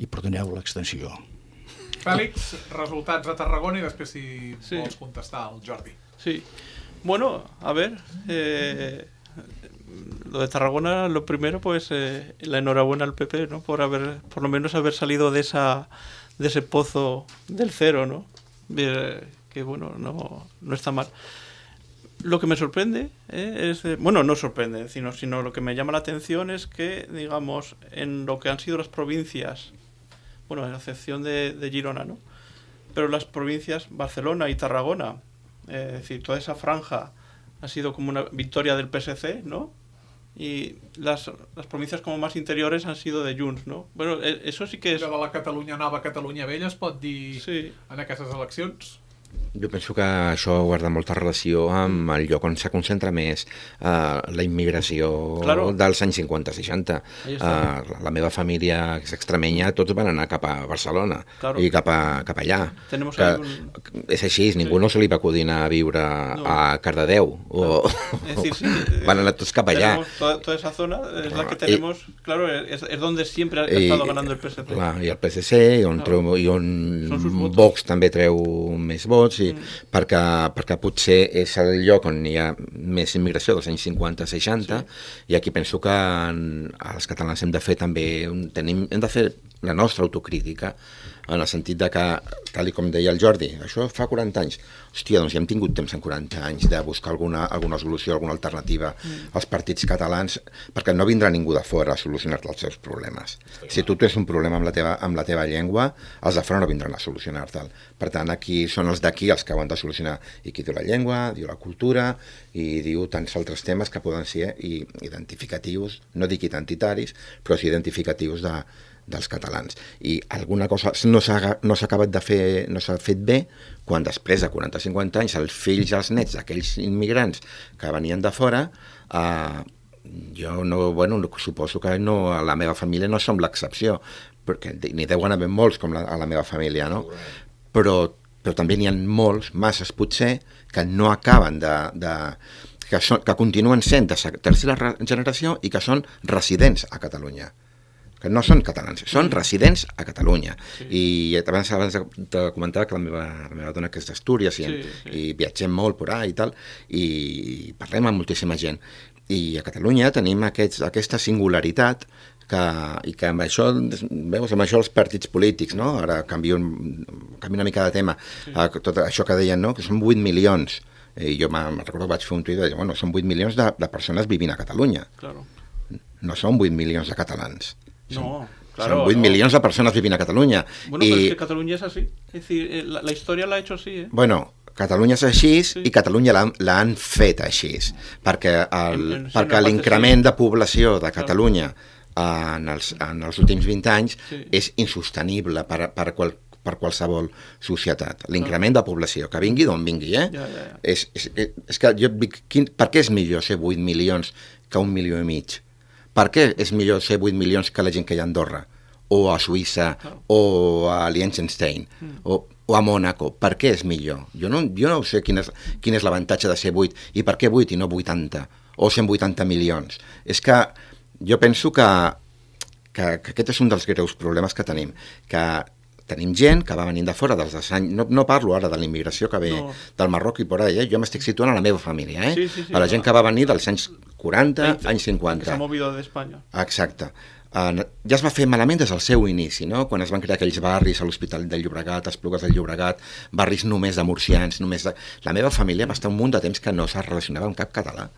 i perdoneu l'extensió. Fèlix, resultats a Tarragona i després si sí. vols contestar al Jordi. Sí, bueno, a ver, eh, lo de Tarragona, lo primero, pues eh, la enhorabuena al P P, ¿no? Por haber, por lo menos haber salido de esa, de ese pozo del cero, ¿no? Eh, que bueno, no, no está mal. Lo que me sorprende eh, es, eh, bueno, no sorprende, sino, sino lo que me llama la atención es que, digamos, en lo que han sido las provincias, bueno, a excepción de, de Girona, ¿no? Pero las provincias Barcelona y Tarragona, eh, es decir, toda esa franja ha sido como una victoria del P S C, ¿no? Y las, las provincias como más interiores han sido de Junts, ¿no? Bueno, eso sí que és... De la Catalunya Nova, Catalunya Vella es pot dir sí. En aquestes eleccions? Jo penso que això guarda molta relació amb el lloc on se concentra més uh, la immigració claro. dels anys cinquanta seixanta. Uh, la meva família és extremenya, tots van anar cap a Barcelona claro. i cap, a, cap allà. Que, un... És així, ningú sí. no se li va acudir a viure no. a Cardedeu. O... Es decir, sí, van anar tots cap allà. Toda, toda esa zona es la que tenemos, I, claro, es, es donde siempre ha estado i, ganando el P S C. Clar, I el P S C, i on, claro. treu, i on Vox també treu més vots, i, mm. perquè, perquè potser és el lloc on hi ha més immigració dels anys cinquanta seixanta, sí. i aquí penso que en, els catalans hem de fer també, tenim, hem de fer la nostra autocrítica, en el sentit de que, tal com deia el Jordi, això fa quaranta anys. Hòstia, doncs ja hem tingut temps en quaranta anys de buscar alguna, alguna solució, alguna alternativa mm. als partits catalans, perquè no vindrà ningú de fora a solucionar-te els seus problemes. Sí, si tu tens un problema amb la teva, amb la teva llengua, els de fora no vindran a solucionar-te'l. Per tant, aquí són els d'aquí els que ho han de solucionar. I qui diu la llengua, diu la cultura, i diu tants altres temes que poden ser identificatius, no dic identitaris, però sí identificatius de dels catalans. I alguna cosa no s'ha no s'ha acabat de fer, no s'ha fet bé, quan després de quaranta a cinquanta anys els fills i els nets d'aquells immigrants que venien de fora, eh, jo no, bueno, suposo que no, a la meva família no som l'excepció, perquè n'hi deuen haver molts com la, a la meva família, no? Però, però també n'hi ha molts, masses potser, que no acaben de... de que, són, que continuen sent de tercera generació i que són residents a Catalunya. Que no són catalans, són residents a Catalunya. Sí. I abans, abans de comentar que la meva, la meva dona que és d'Astúries i, sí, sí. i viatgem molt por ahí i tal, i parlem amb moltíssima gent. I a Catalunya tenim aquests, aquesta singularitat que, i que amb això, veus, amb això els partits polítics, no? Ara canvio, canvio una mica de tema, sí. Tot això que deien, no? Que són vuit milions, i jo me'n recordo que vaig fer un tuit i deia, bueno, són vuit milions de, de persones vivint a Catalunya. Claro. No són vuit milions de catalans. No, claro. Son vuit no. milions de persones vivint a Catalunya. Bueno, y... pero es que Catalunya es así. Es decir, la, la historia la ha hecho así, ¿eh? Bueno, Catalunya és així, sí. I Catalunya l'han fet així, perquè el, en, en, perquè l'increment de població de Catalunya claro. en, els, en els últims vint anys sí. és insostenible per, per, qual, per qualsevol societat. L'increment claro. de població, que vingui d'on vingui, eh? Ja, ja, ja. És, és, és que jo dic, quin, per què és millor ser vuit milions que un milió i mig? Per què és millor ser vuit milions que la gent que hi ha a Andorra? O a Suïssa, o a Liechtenstein, o, o a Mònaco? Per què és millor? Jo no, jo no sé quin és, quin és l'avantatge de ser vuit, i per què vuit i no vuitanta, o cent vuitanta milions. És que jo penso que, que, que aquest és un dels greus problemes que tenim, que tenim gent que va venint de fora dels anys, no, no parlo ara de la immigració que ve no. del Marroc i por ahí, eh? Jo m'estic situant a la meva família, eh? Sí, sí, sí, a la gent no. que va venir dels anys quaranta, veinte, anys cinquanta. Que s'ha movido d'Espanya. Exacte. Uh, ja es va fer malament des del seu inici, no? Quan es van crear aquells barris a l'Hospital del Llobregat, a Esplugues del Llobregat, barris només de murcians, només de... La meva família va estar un munt de temps que no es relacionava amb cap català,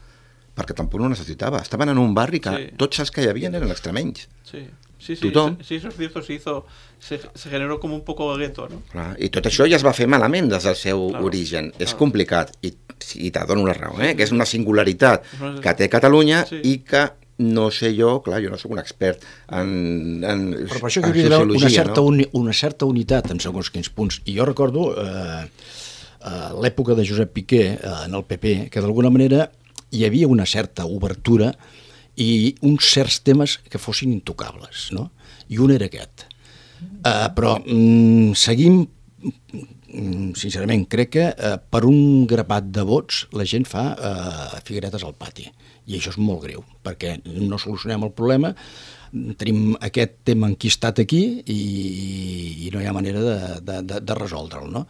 perquè tampoc no necessitava. Estaven en un barri que sí. tots els que hi havia eren extremenys. Sí. Sí, sí, sí, eso es cierto, se hizo, se, se generó como un poco gueto, ¿no? Clar, i tot això ja es va fer malament des del seu claro, origen. Claro. És complicat, i, i te dono la raó, eh? Que és una singularitat no és... que té Catalunya sí. i que no sé jo, clar, jo no sóc un expert en, en, Però per això en que sociologia, una certa, no? uni, una certa unitat en segons quins punts. I jo recordo eh, eh, l'època de Josep Piqué eh, en el P P, que d'alguna manera hi havia una certa obertura i uns certs temes que fossin intocables, no? I un era aquest. Uh, però mm, seguim, mm, sincerament, crec que uh, per un grapat de vots la gent fa uh, figuretes al pati. I això és molt greu, perquè no solucionem el problema, tenim aquest tema enquistat aquí i, i no hi ha manera de, de, de, de resoldre'l, no?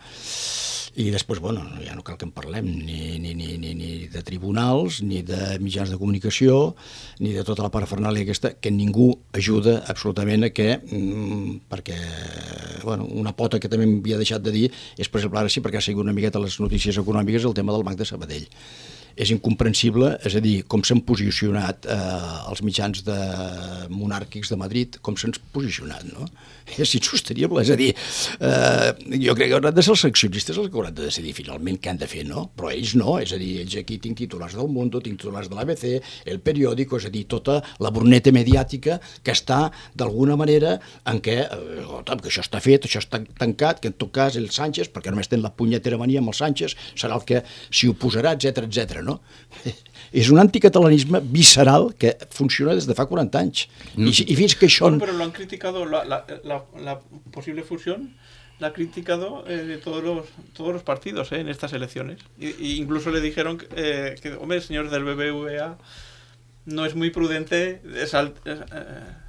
I després, bueno, ja no cal que en parlem ni, ni, ni, ni, ni de tribunals, ni de mitjans de comunicació, ni de tota la parafernàlia aquesta, que ningú ajuda absolutament a que, mmm, perquè, bueno, una pota que també m'havia deixat de dir és, per exemple, ara sí, perquè ha sigut una miqueta les notícies econòmiques, el tema del Banc de Sabadell. És incomprensible, és a dir, com s'han posicionat eh, els mitjans de monàrquics de Madrid, com s'han posicionat, no? És insostenible, és a dir, eh, jo crec que hauran de ser els accionistes els que hauran de decidir finalment què han de fer, no? Però ells no, és a dir, ells aquí tinc titulars del Mundo, tinc titulars de l'A B C, el periòdico, és a dir, tota la bruneta mediàtica que està d'alguna manera en què, eh, que això està fet, això està tancat, que en tot cas el Sánchez, perquè només ten la punyetera mania amb el Sánchez, serà el que s'hi oposarà, etcètera, etcètera, no? És un anticatalanisme visceral que funciona des de fa quaranta anys. Mm. I, I fins que això... Bueno, pero lo han criticado, la, la, la, la posible fusión la ha criticado eh, todos, los, todos los partidos eh, en estas elecciones. Y, y incluso le dijeron que, eh, que, hombre, señores del B B V A, no es muy prudente sal, eh,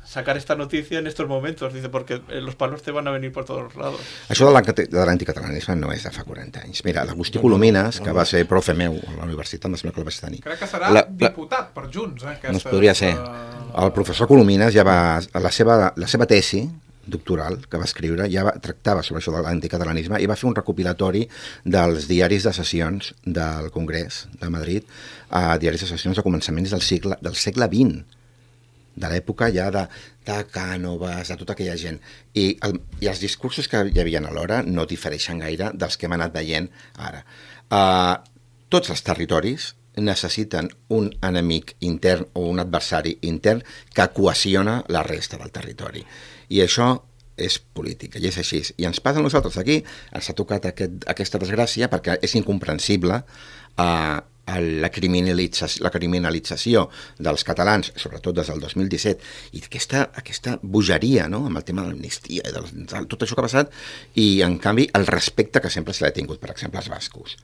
sacar esta noticia en estos momentos, dice, porque los palos te van a venir por todos los lados. Això de l'anticatalanisme no és de fa quaranta anys. Mira, l'Agustí Colomines, que va ser profe meu a la universitat, em sembla que el vaig tenir. Crec que serà la, diputat per Junts. Eh, aquesta, no es podria ser. El professor Colomines ja va... La seva, la seva tesi doctoral que va escriure ja va, tractava sobre això de l'anticatalanisme i va fer un recopilatori dels diaris de sessions del Congrés de Madrid, a diaris de sessions de començaments del segle, del segle vint, de l'època ja de, de Cànovas, de tota aquella gent. I, el, I els discursos que hi havia alhora no difereixen gaire dels que hem anat veient ara. Uh, tots els territoris necessiten un enemic intern o un adversari intern que cohesiona la resta del territori. I això és política, i és així. I ens passa a nosaltres aquí, ens ha tocat aquest, aquesta desgràcia perquè és incomprensible eh, la, criminalització, la criminalització dels catalans, sobretot des del dos mil disset, i aquesta, aquesta bogeria, no?, amb el tema de l'amnistia, de, de tot això que ha passat, i en canvi el respecte que sempre se l'ha tingut, per exemple, als bascos.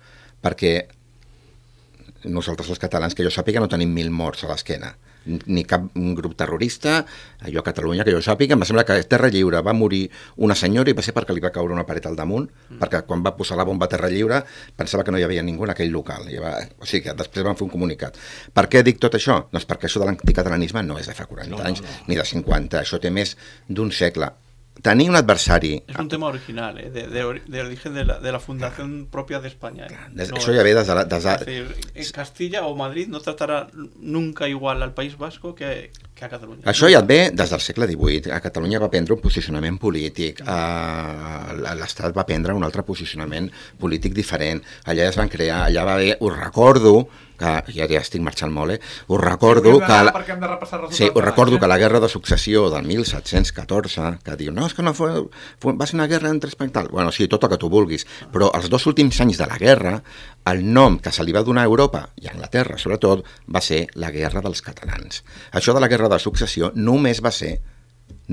Perquè nosaltres els catalans, que jo sàpiga, no tenim mil morts a l'esquena, ni cap grup terrorista. Jo a Catalunya, que jo sàpiga, em sembla que a Terra Lliure va morir una senyora i va ser perquè li va caure una paret al damunt, mm. perquè quan va posar la bomba a Terra Lliure pensava que no hi havia ningú en aquell local. I va, o sigui que després van fer un comunicat. Per què dic tot això? Doncs perquè això de l'anticatalanisme no és de fa quaranta no, anys, no, no. ni de cinquanta, això té més d'un segle. Tenir un adversari... És un tema original, eh? de, de, de origen de la, de la fundación propia de España. Eh? Des, no, això ja ve des de... Des de... Es decir, en Castilla o Madrid no tratarà nunca igual al País Vasco que, que a Catalunya. Això ja et ve des del segle divuit. A Catalunya va prendre un posicionament polític, a l'Estat va prendre un altre posicionament polític diferent. Allà es van crear, allà va haver, ho recordo, que ja, ja estic marxant molt, eh? Us recordo sí, que... La... perquè hem de repassar resultats. Sí, us recordo que la guerra de successió del mil set-cents catorze, que diu, no, és que no fue, fue, va ser una guerra entre Espanya i tal. Bueno, sí, tot el que tu vulguis, però els dos últims anys de la guerra, el nom que se li va donar a Europa, i a Anglaterra sobretot, va ser la guerra dels catalans. Això de la guerra de successió només va ser,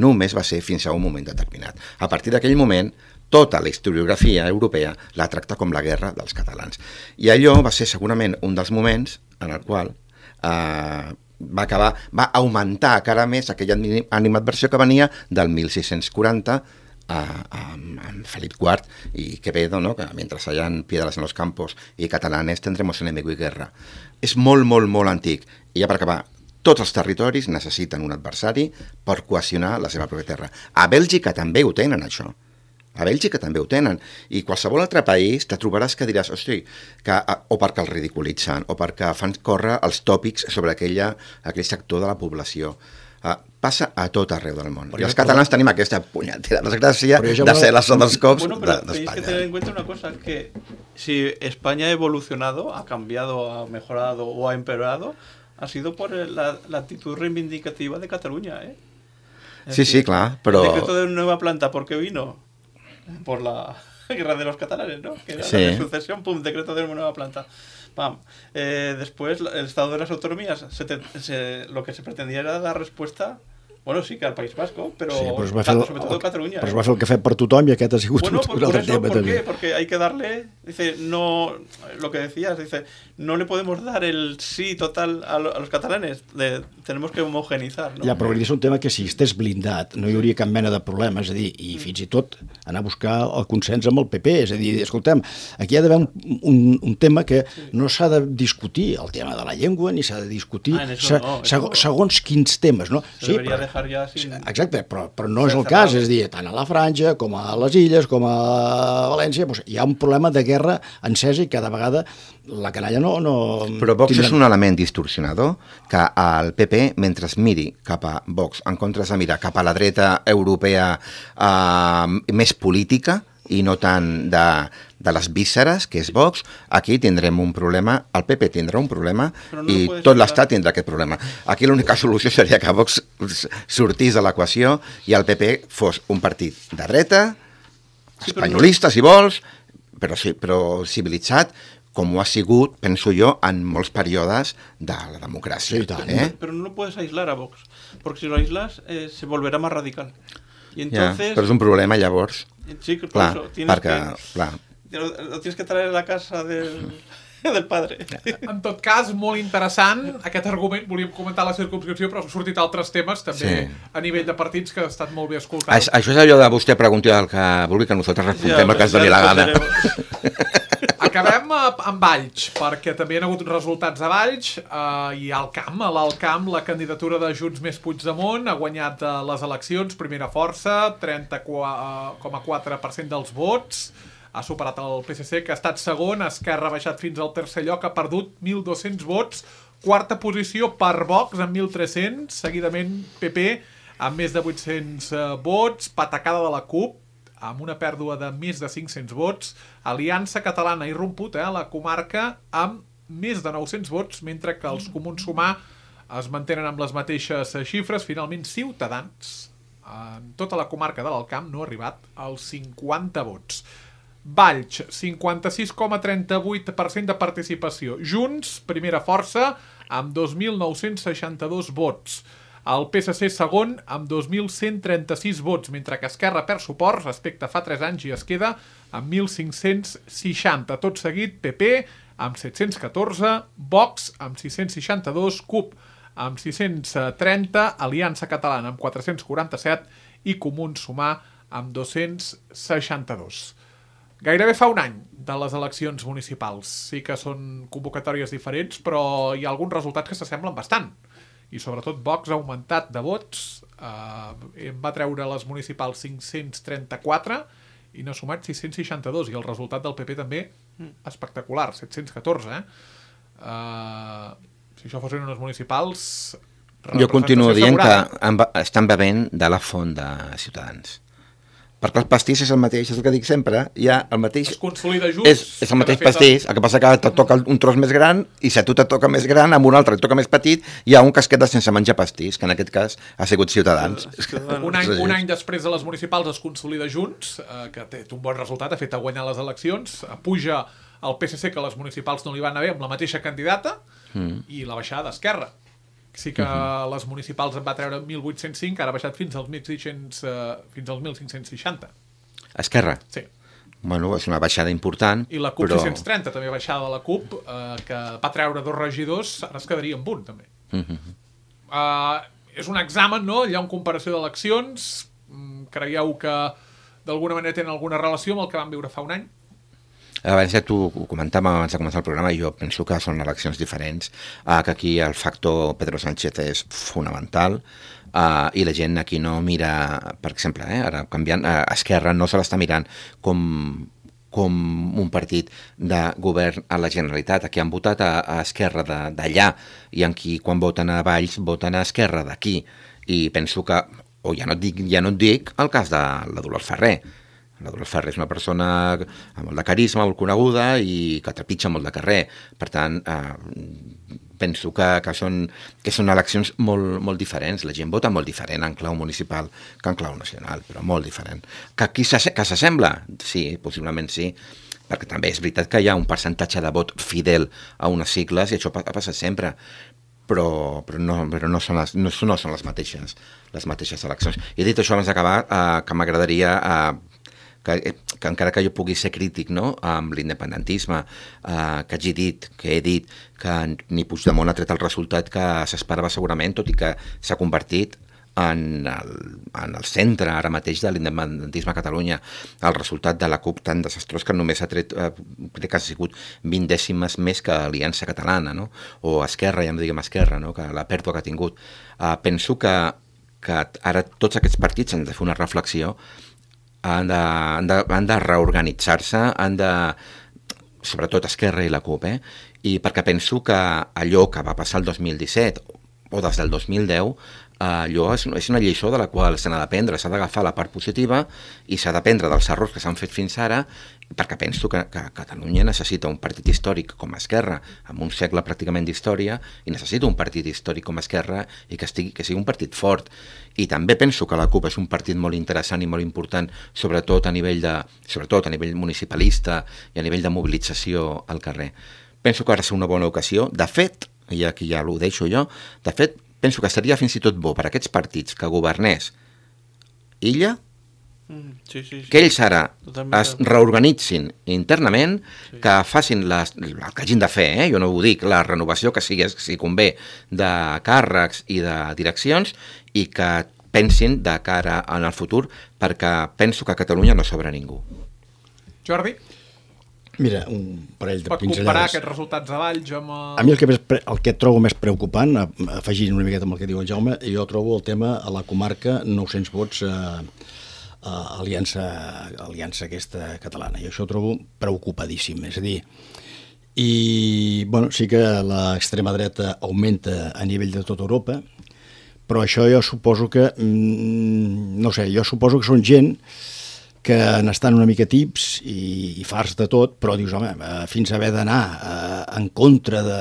només va ser fins a un moment determinat. A partir d'aquell moment, tota la historiografia europea la tracta com la guerra dels catalans. I allò va ser segurament un dels moments en el qual eh, va acabar, va augmentar encara més aquella animadversió que venia del mil sis-cents quaranta a, a, amb Felip quart i Quevedo, ¿no? Que mientras hayan piedras en los campos y catalanes tendremos enemigo y guerra. És molt, molt, molt antic. I ja per acabar, tots els territoris necessiten un adversari per cohesionar la seva pròpia terra. A Bèlgica també ho tenen, això. A Bèlgica també ho tenen. I qualsevol altre país te trobaràs que diràs, hosti, que, o perquè els ridiculitzen, o perquè fan córrer els tòpics sobre aquella, aquell sector de la població. Uh, passa a tot arreu del món. Però I els catalans tenim aquesta punyetera desgràcia de ser la son dels cops bueno, pero d'Espanya. Tenéis que tener en cuenta una cosa, que si España ha evolucionado, ha cambiado, ha mejorado o ha empeorado, ha sido por la, la actitud reivindicativa de Cataluña, ¿eh? Sí, decir, sí, clar, però... El decreto de nueva planta, ¿por qué vino? Por la guerra de los catalanes, ¿no? Que era sí. la sucesión, pum, decreto de nueva planta. Pam. Eh, después, el Estado de las Autonomías, se te, se, lo que se pretendía era dar respuesta, bueno, sí que al País Vasco, pero, sí, però va fer, sobre todo Catalunya. Però es va fer el que ha fet per tothom i aquest ha sigut bueno, un, por, un altre por eso, tema. ¿por també. qué? Porque hay que darle, dice, no, lo que decías, dice, no le podemos dar el sí total a, lo, a los catalanes, de, tenemos que homogenizar, ¿no? Ja, però és un tema que si estés blindat no hi hauria cap mena de problema, és a dir, i fins i tot anar a buscar el consens amb el P P, és a dir, escoltem, aquí hi ha d'haver un, un, un tema que no s'ha de discutir, el tema de la llengua, ni s'ha de discutir ah, eso se, no, seg, segons quins temes, no? Se sí, deberia però, dejar ja sin... Exacte, però, però no és el cas, és a dir, tant a la Franja com a les Illes, com a València, doncs hi ha un problema de guerra encesa i cada vegada la canalla no... no però Vox tindran... és un element distorsionador que el P P, mentre miri cap a Vox, en comptes de mirar cap a la dreta europea eh, més política i no tant de, de les vísceres, que és Vox, aquí tindrem un problema, el P P tindrà un problema no i tot l'Estat tindrà aquest problema. Aquí l'única solució seria que Vox sortís de l'equació i el P P fos un partit de dreta, sí, espanyolista, si vols, però, sí, però civilitzat, com ho ha sigut, penso jo, en molts períodes de la democràcia. Sí, tant. ¿Eh? Pero no lo puedes aislar a Vox, porque si lo aislas eh, se volverá más radical. Y entonces... Ja, però és un problema, llavors. Sí, por clar, eso tienes perquè, que... clar. Lo, lo tienes que traer a la casa del, del padre. En tot cas, molt interessant aquest argument. Volíem comentar la circumscripció, però han sortit altres temes, també sí. A nivell de partits, que ha estat molt bé escoltat. Això, això és allò de vostè pregunti el que vulgui, que nosaltres respondem ja, el que ens doni la gana. Acabem amb Valls, perquè també hi ha hagut resultats a Valls eh, i al camp, a l'alt camp, la candidatura de Junts més Puigdemont ha guanyat eh, les eleccions, primera força, trenta coma quatre per cent dels vots, ha superat el P S C, que ha estat segon, Esquerra ha baixat fins al tercer lloc, ha perdut mil dos-cents vots, quarta posició per Vox amb mil tres-cents, seguidament P P amb més de vuit-cents eh, vots, patacada de la CUP, amb una pèrdua de més de cinc-cents vots, Aliança Catalana ha irromput eh, la comarca amb més de nou-cents vots, mentre que els Comuns Sumar es mantenen amb les mateixes xifres. Finalment, Ciutadans, en tota la comarca de l'Alt Camp, no ha arribat als cinquanta vots. Valls, cinquanta-sis coma trenta-vuit per cent de participació. Junts, primera força, amb dos mil nou-cents seixanta-dos vots. El P S C segon amb dos mil cent trenta-sis vots, mentre que Esquerra perd suport respecte a fa tres anys i es queda amb mil cinc-cents seixanta. Tot seguit, P P amb set-cents catorze, Vox amb sis-cents seixanta-dos, CUP amb sis-cents trenta, Aliança Catalana amb quatre-cents quaranta-set i Comuns Sumar amb dos-cents seixanta-dos. Gairebé fa un any de les eleccions municipals. Sí que són convocatòries diferents, però hi ha alguns resultats que s'assemblen bastant. I sobretot Vox ha augmentat de vots, eh, va treure les municipals cinc-cents trenta-quatre i n'ha sumat sis-cents seixanta-dos, i el resultat del P P també espectacular, set-cents catorze. Eh? Uh, si això fossin unes municipals... Jo continuo dient que estan bevent de la font de Ciutadans, perquè el pastís és el mateix, és el que dic sempre, hi ha el mateix... Es consolida junts. És, és el mateix pastís, el que passa que te toca un tros més gran, i si a tu te toca més gran, amb un altre et toca més petit, hi ha un que es queda sense menjar pastís, que en aquest cas ha sigut Ciutadans. Un any, un any després de les municipals es consolida Junts, eh, que té un bon resultat, ha fet a guanyar les eleccions, puja el P S C, que les municipals no li van anar bé, amb la mateixa candidata, mm. i la baixada d'Esquerra. Sí que uh-huh. les municipals en va treure mil vuit-cents cinc, ara ha baixat fins als mil sis-cents, uh, fins als mil cinc-cents seixanta. Esquerra? Sí. Bueno, és una baixada important. I la CUP però... sis-cents trenta, també baixada de la CUP, uh, que va treure dos regidors, ara es quedaria amb un, també. Uh-huh. Uh, és un examen, no? Hi ha una comparació d'eleccions. Creieu que d'alguna manera tenen alguna relació amb el que vam viure fa un any? Abans ja t'ho comentàvem abans de començar el programa, i jo penso que són eleccions diferents, uh, que aquí el factor Pedro Sánchez és fonamental, uh, i la gent aquí no mira, per exemple, eh, ara canviant, uh, Esquerra no se l'està mirant com, com un partit de govern a la Generalitat. Aquí han votat a, a Esquerra d'allà, i en qui quan voten a Valls voten a Esquerra d'aquí, i penso que, o ja no et dic, ja no et dic el cas de la Dolors Ferrer. La Dolors Ferrer és una persona amb molt de carisma, molt coneguda, i que trepitja molt de carrer. Per tant, eh, penso que, que, són, que són eleccions molt, molt diferents. La gent vota molt diferent en clau municipal que en clau nacional, però molt diferent. Que aquí s'assembla? Sí, possiblement sí, perquè també és veritat que hi ha un percentatge de vot fidel a unes sigles, i això ha passat sempre. Però, però, no, però no, són les, no, no són les mateixes, les mateixes eleccions. I dit això, abans d'acabar, eh, que m'agradaria... Eh, Que, que encara que jo pugui ser crític, no?, amb l'independentisme, eh, que hagi dit, que he dit, que ni Puigdemont ha tret el resultat que s'esperava segurament, tot i que s'ha convertit en el, en el centre ara mateix de l'independentisme a Catalunya. El resultat de la CUP tan desastrós que només ha tret, eh, crec que ha sigut vint dècimes més que Aliança Catalana, no?, o Esquerra, ja no diguem Esquerra, no?, que la pèrdua que ha tingut. Eh, penso que, que ara tots aquests partits han de fer una reflexió, han de, han de, han de reorganitzar-se, han de, sobretot Esquerra i la CUP, eh? I perquè penso que allò que va passar el dos mil disset o des del dos mil deu, allò és, és una lliçó de la qual s'ha d'aprendre, s'ha d'agafar la part positiva i s'ha d'aprendre dels errors que s'han fet fins ara, perquè penso que, que Catalunya necessita un partit històric com Esquerra, amb un segle pràcticament d'història, i necessita un partit històric com Esquerra i que, estigui, que sigui un partit fort. I també penso que la CUP és un partit molt interessant i molt important, sobretot a nivell de, sobretot a nivell municipalista i a nivell de mobilització al carrer. Penso que ara és una bona ocasió. De fet, i aquí ja ho deixo jo, de fet, penso que seria fins i tot bo per a aquests partits que governés Illa, mm, sí, sí, sí. que ells ara Totalment. es reorganitzin internament, sí. que facin les, el que hagin de fer, eh? Jo no ho dic, la renovació que sigui, si convé, de càrrecs i de direccions, i que pensin de cara en el futur, perquè penso que a Catalunya no sobra ningú. Jordi? Mira, un parell de pinzellades. Pot comparar aquests resultats de Valls amb... El... A mi el que, més, el que trobo més preocupant, afegint una miqueta amb el que diu el Jaume, jo trobo el tema a la comarca nou-cents vots a, a aliança, aliança aquesta catalana. I això ho trobo preocupadíssim. És a dir, i bueno, sí que l'extrema dreta augmenta a nivell de tota Europa, però això jo suposo que, no sé, jo suposo que són gent que n'estan una mica tips i, i farts de tot, però dius, home, fins a haver d'anar eh, en contra de...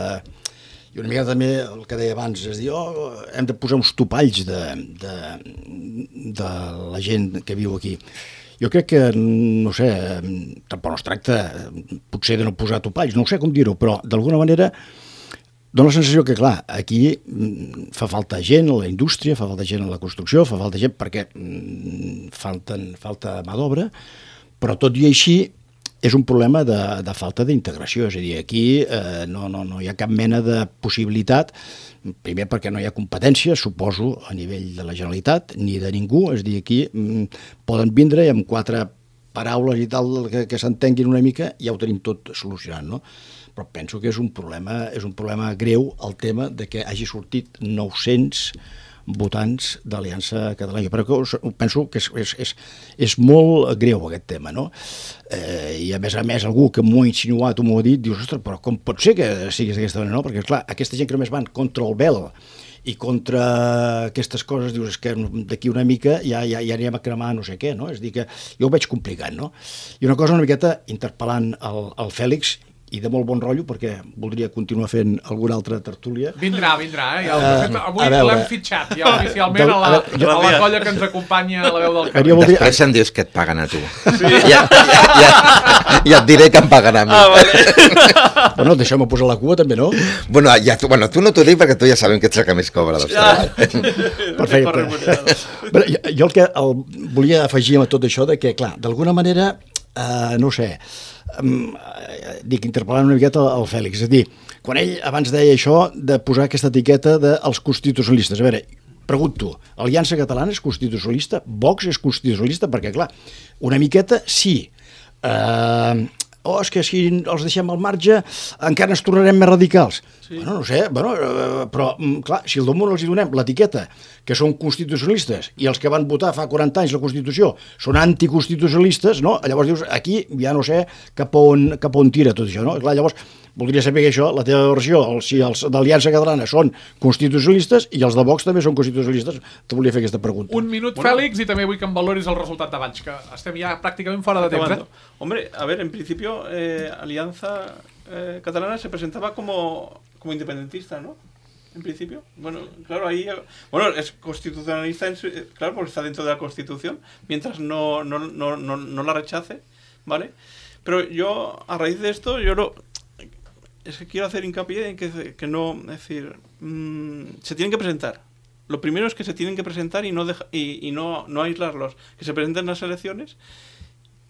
I una mica també el que deia abans, és dir, oh, hem de posar uns topalls de, de, de la gent que viu aquí. Jo crec que, no sé, tampoc no es tracta potser de no posar topalls, no sé com dir-ho, però d'alguna manera dóna la sensació que, clar, aquí fa falta gent a la indústria, fa falta gent a la construcció, fa falta gent perquè falten, falta mà d'obra, però tot i així és un problema de, de falta d'integració. És a dir, aquí eh, no, no, no hi ha cap mena de possibilitat, primer perquè no hi ha competència, suposo, a nivell de la Generalitat, ni de ningú. És a dir, aquí mm, poden vindre i amb quatre paraules i tal que, que s'entenguin una mica ja ho tenim tot solucionat, no? Però penso que és un problema, és un problema greu el tema de que hagi sortit nou-cents votants d'Aliança Catalana. Però penso que és, és, és, és molt greu aquest tema, no? Eh, I a més a més algú que m'ho ha insinuat o m'ho ha dit, dius, ostres, però com pot ser que siguis d'aquesta manera, no? Perquè, clar, aquesta gent que només van contra el vel i contra aquestes coses dius que d'aquí una mica ja, ja, ja anirem a cremar no sé què, no? És a dir que jo ho veig complicat, no? I una cosa una miqueta interpel·lant el, el Fèlix, i de molt bon rotllo, perquè voldria continuar fent alguna altra tertúlia. Vindrà, vindrà, eh? Ja Uh, avui a veure. l'hem fitxat, ja oficialment, a la, A veure, jo- a la colla que ens acompanya a la veu del Jo carrer. voldria- Després em dius que et paguen a tu. Sí. Ja, ja, ja, ja et diré que em paguen a mi. Ah, vale. Bueno, deixeu-me posar la cua també, no? Bueno, ja, tu, bueno, tu no t'ho dic perquè tu ja sabem que ets el que més cobra dels Ja. treballs. Perfecte. Però jo, jo el que el, volia afegir a tot això de que, clar, d'alguna manera, eh, no ho sé, um, dic, interpel·lant una miqueta el Fèlix, és a dir, quan ell abans deia això de posar aquesta etiqueta dels constitucionalistes, a veure, pregunto, Aliança Catalana és constitucionalista? Vox és constitucionalista? Perquè, clar, una miqueta sí. Eh, oh, és que si els deixem al marge encara ens tornarem més radicals. Sí. Bueno, no sé, bueno, eh, però, mm, clar, si al damunt els hi donem l'etiqueta que són constitucionalistes i els que van votar fa quaranta anys la Constitució són anticonstitucionalistes, no? Llavors dius, aquí ja no sé cap on, cap on tira tot això, no? Clar, llavors, voldria saber que això, la teva versió, el, si els d'Aliança Catalana són constitucionalistes i els de Vox també són constitucionalistes, te volia fer aquesta pregunta. Un minut, Bueno. Fèlix, y també vull que em valoris el resultat de Valls, que estem ja pràcticament fora de temps. Acabando. Eh? Hombre, a ver, en principio, eh, Alianza eh, Catalana se presentaba como, como independentista, ¿no? En principio. Bueno, claro, ahí. Bueno, es constitucionalista, en su- eh, claro, porque está dentro de la Constitución, mientras no, no, no, no, no la rechace, ¿vale? Pero yo, a raíz de esto, yo lo. Es que quiero hacer hincapié en que, que no. Es decir, mmm, se tienen que presentar. Lo primero es que se tienen que presentar y no, deja, y, y no, no aislarlos. Que se presenten en las elecciones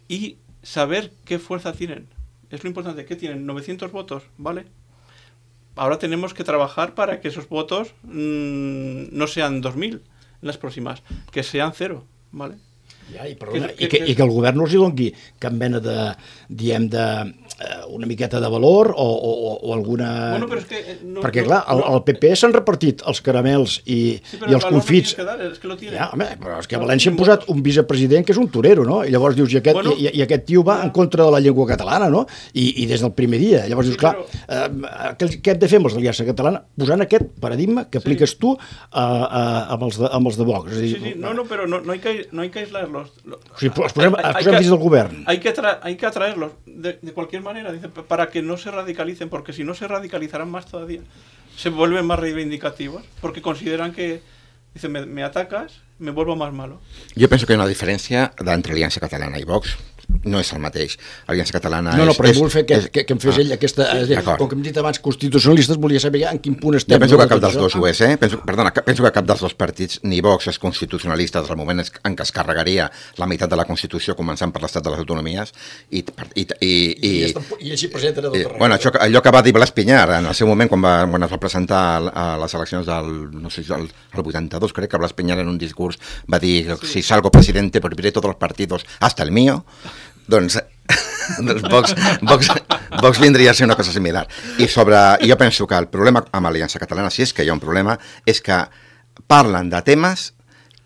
y saber qué fuerza tienen. Es lo importante. ¿Qué tienen? novecientos votos, ¿vale? Ahora tenemos que trabajar para que esos votos mmm, no sean dos mil en las próximas, que sean cero, ¿vale? Ja, i, perdona, Que- i, que, que- i que el govern no els hi doni cap mena de, diem, de, eh, una miqueta de valor o, o, o alguna... Bueno, pero es que, eh, no- Perquè, no- clar, el, no- el P P s'han repartit els caramels i, Sí, pero i el els valor no confits. tienes que dar, es que lo tiene. Ja, home, però és que a València han posat un vicepresident que és un torero, no? I llavors dius, i aquest, Bueno, i, i aquest tio va en contra de la llengua catalana, no? I, i des del primer dia. Llavors Sí, dius, clar, però- eh, què, què hem de fer amb els d'Aliança Catalana? Posant aquest paradigma que apliques tu eh, eh, amb, els de, amb els de Vox. És a dir, Sí, sí, no, no, pero no, no, hay, que, no hay que aislarlos. Lo- O sigui, els posem, hay- els hay posem que- dins del govern. Hay que, tra- hay que atraerlos de, de cualquier manera, dice, pa- para que no se radicalicen, porque si no se radicalizarán más todavía. Se vuelven más reivindicativos, porque consideran que, dice, me, me atacas, me vuelvo más malo. Jo penso que hi ha una diferència entre Aliança Catalana i Vox. No és el mateix. Aliança Catalana No, no, és... però és, vull fer que, és, que, que em fes ah, ell aquesta... És a dir, d'acord. com que hem dit abans constitucionalistes, volia saber ja en quin punt estem. Jo penso no, que cap tot dels això. dos ho és, eh? Penso, perdona, que- penso que cap dels dos partits, ni Vox és constitucionalista des del moment en què es carregaria la meitat de la Constitució, començant per l'Estat de les Autonomies, i, i, i, i, I, està- I així presenten a tot i arreu. bueno, això, que- allò que va dir Blas Piñar en el seu moment, quan, va, quan es va presentar a les eleccions del, no sé, el, el vuitanta-dos, crec que Blas Piñar en un discurs va dir, si salgo presidente prohibiré todos los partidos, hasta el mío. Doncs, doncs Vox, Vox, Vox vindria a ser una cosa similar. I sobre, jo penso que el problema amb Aliança Catalana, si és que hi ha un problema, és que parlen de temes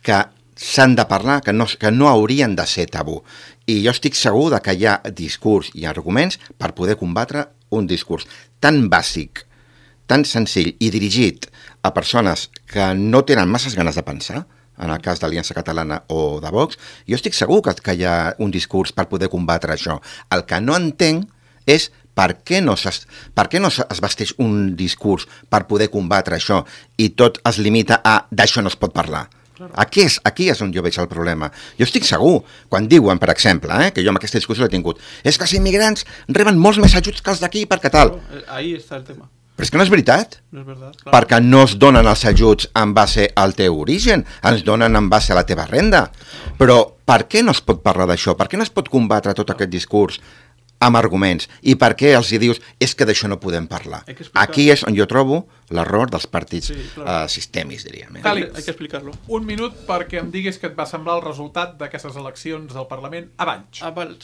que s'han de parlar, que no, que no haurien de ser tabú. I jo estic segur de que hi ha discurs i arguments per poder combatre un discurs tan bàsic, tan senzill i dirigit a persones que no tenen masses ganes de pensar, en el cas d'Aliança Catalana o de Vox, jo estic segur que, que hi ha un discurs per poder combatre això. El que no entenc és per què no, es, per què no es vesteix un discurs per poder combatre això i tot es limita a d'això no es pot parlar. Aquí és, aquí és on jo veig el problema. Jo estic segur, quan diuen, per exemple, eh, que jo amb aquesta discussió l'he tingut, és que els immigrants reben molts més ajuts que els d'aquí perquè tal. Claro, eh, ahí está el tema. Però és que no és veritat. No es verdad. Claro. Perquè no es donen els ajuts en base al teu origen, ens donen en base a la teva renda. Però per què no es pot parlar d'això? Per què no es pot combatre tot aquest discurs amb arguments? I per què els hi dius és que d'això no podem parlar? Hay que explicar. Aquí és on jo trobo l'error dels partits Sí, claro. eh, sistèmics, diríem. Eh? Fèlix. Hay que explicarlo. Un minut perquè em diguis què et va semblar el resultat d'aquestes eleccions del Parlament a Valls. Ah, vale.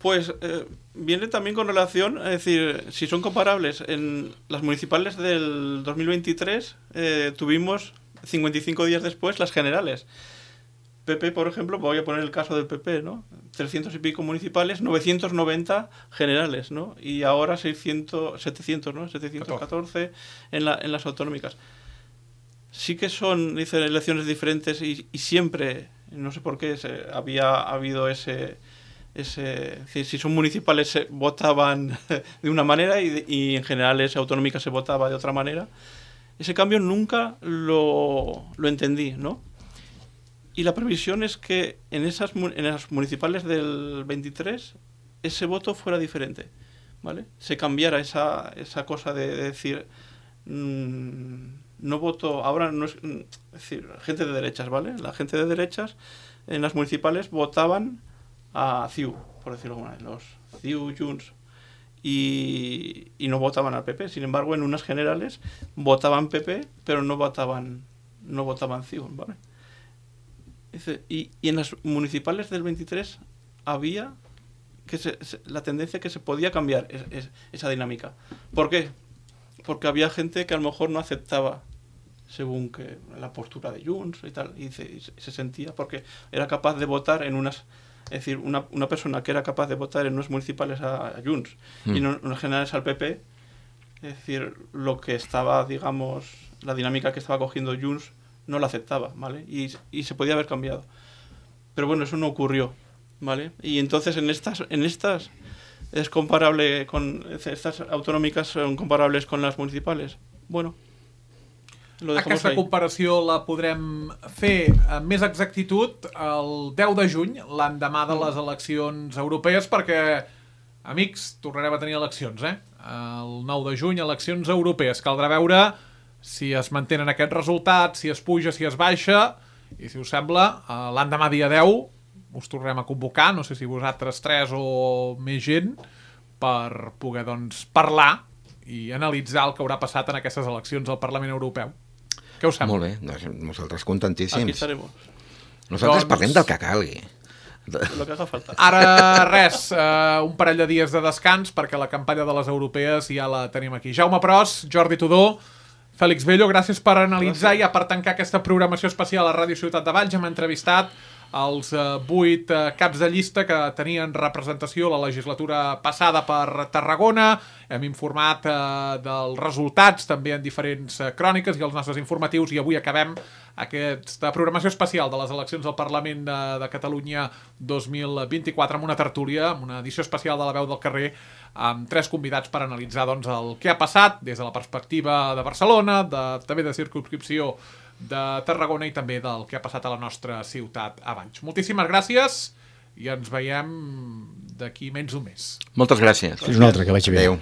Pues eh, viene también con relación, es decir, si son comparables, en las municipales del dos mil veintitrés eh, tuvimos cincuenta y cinco días después las generales. P P, por ejemplo, voy a poner el caso del P P, ¿no? trescientos y pico municipales, novecientos noventa generales, ¿no? Y ahora seiscientos, setecientos, ¿no? setecientos catorce en, la, en las autonómicas. sí que son, dice, elecciones diferentes y, y siempre, no sé por qué, se, había habido ese... ese es decir, si son municipales se votaban de una manera y, y en generales autonómicas se votaba de otra manera. Ese cambio nunca lo, lo entendí, ¿no? Y la previsión es que en esas en las municipales del veintitrés ese voto fuera diferente, ¿vale? Se cambiara esa, esa cosa de, de decir mmm, no voto, ahora no es, es decir, gente de derechas, ¿vale? La gente de derechas en las municipales votaban a C I U, por decirlo de alguna manera, los C I U, Junts, y, y no votaban al P P. Sin embargo, en unas generales votaban P P, pero no votaban no votaban C I U, ¿vale? Y, y en las municipales del veintitrés había que se, se, la tendencia que se podía cambiar es, es, esa dinámica. ¿Por qué? Porque había gente que a lo mejor no aceptaba según que la postura de Junts y tal, y se, y se sentía porque era capaz de votar en unas... Es decir, una, una persona que era capaz de votar en unos municipales a, a Junts mm. y en unos generales al P P, es decir, lo que estaba, digamos, la dinámica que estaba cogiendo Junts no la aceptaba, ¿vale? Y, y se podía haber cambiado. Pero bueno, eso no ocurrió, ¿vale? Y entonces en estas, en estas es comparable con... Estas autonòmiques son comparables con las municipales. Bueno, lo dejamos Aquesta ahí. comparació la podrem fer amb més exactitud el deu de juny, l'endemà de les eleccions europees, perquè, amics, tornarem a tenir eleccions, eh? El nou de juny, eleccions europees. Caldrà veure si es mantenen aquests resultats, si es puja, si es baixa, i si us sembla, l'endemà dia deu us tornarem a convocar, no sé si vosaltres tres o més gent, per poder, doncs, parlar i analitzar el que haurà passat en aquestes eleccions al Parlament Europeu. Què us sembla? Molt bé, doncs nosaltres contentíssims. Aquí estaremos. Nosaltres Doncs... parlem del que calgui. Lo que haga falta. Ara, res, uh, un parell de dies de descans perquè la campanya de les europees ja la tenim aquí. Jaume Pros, Jordi Tudó, Fèlix Bello, gràcies per analitzar i per tancar aquesta programació especial a Ràdio Ciutat de Valls. Hem entrevistat els vuit uh, uh, caps de llista que tenien representació la legislatura passada per Tarragona. Hem informat uh, dels resultats també en diferents uh, cròniques i els nostres informatius, i avui acabem aquesta programació especial de les eleccions al Parlament de, de Catalunya dos mil vint-i-quatre amb una tertúlia, amb una edició especial de La Veu del Carrer, amb tres convidats per analitzar, doncs, el que ha passat des de la perspectiva de Barcelona, de, també de circumscripció de Tarragona i també del que ha passat a la nostra ciutat a Valls. Moltíssimes gràcies i ens veiem d'aquí menys d'un mes. Moltes gràcies. Fins una altra, que vagi bé. Adéu.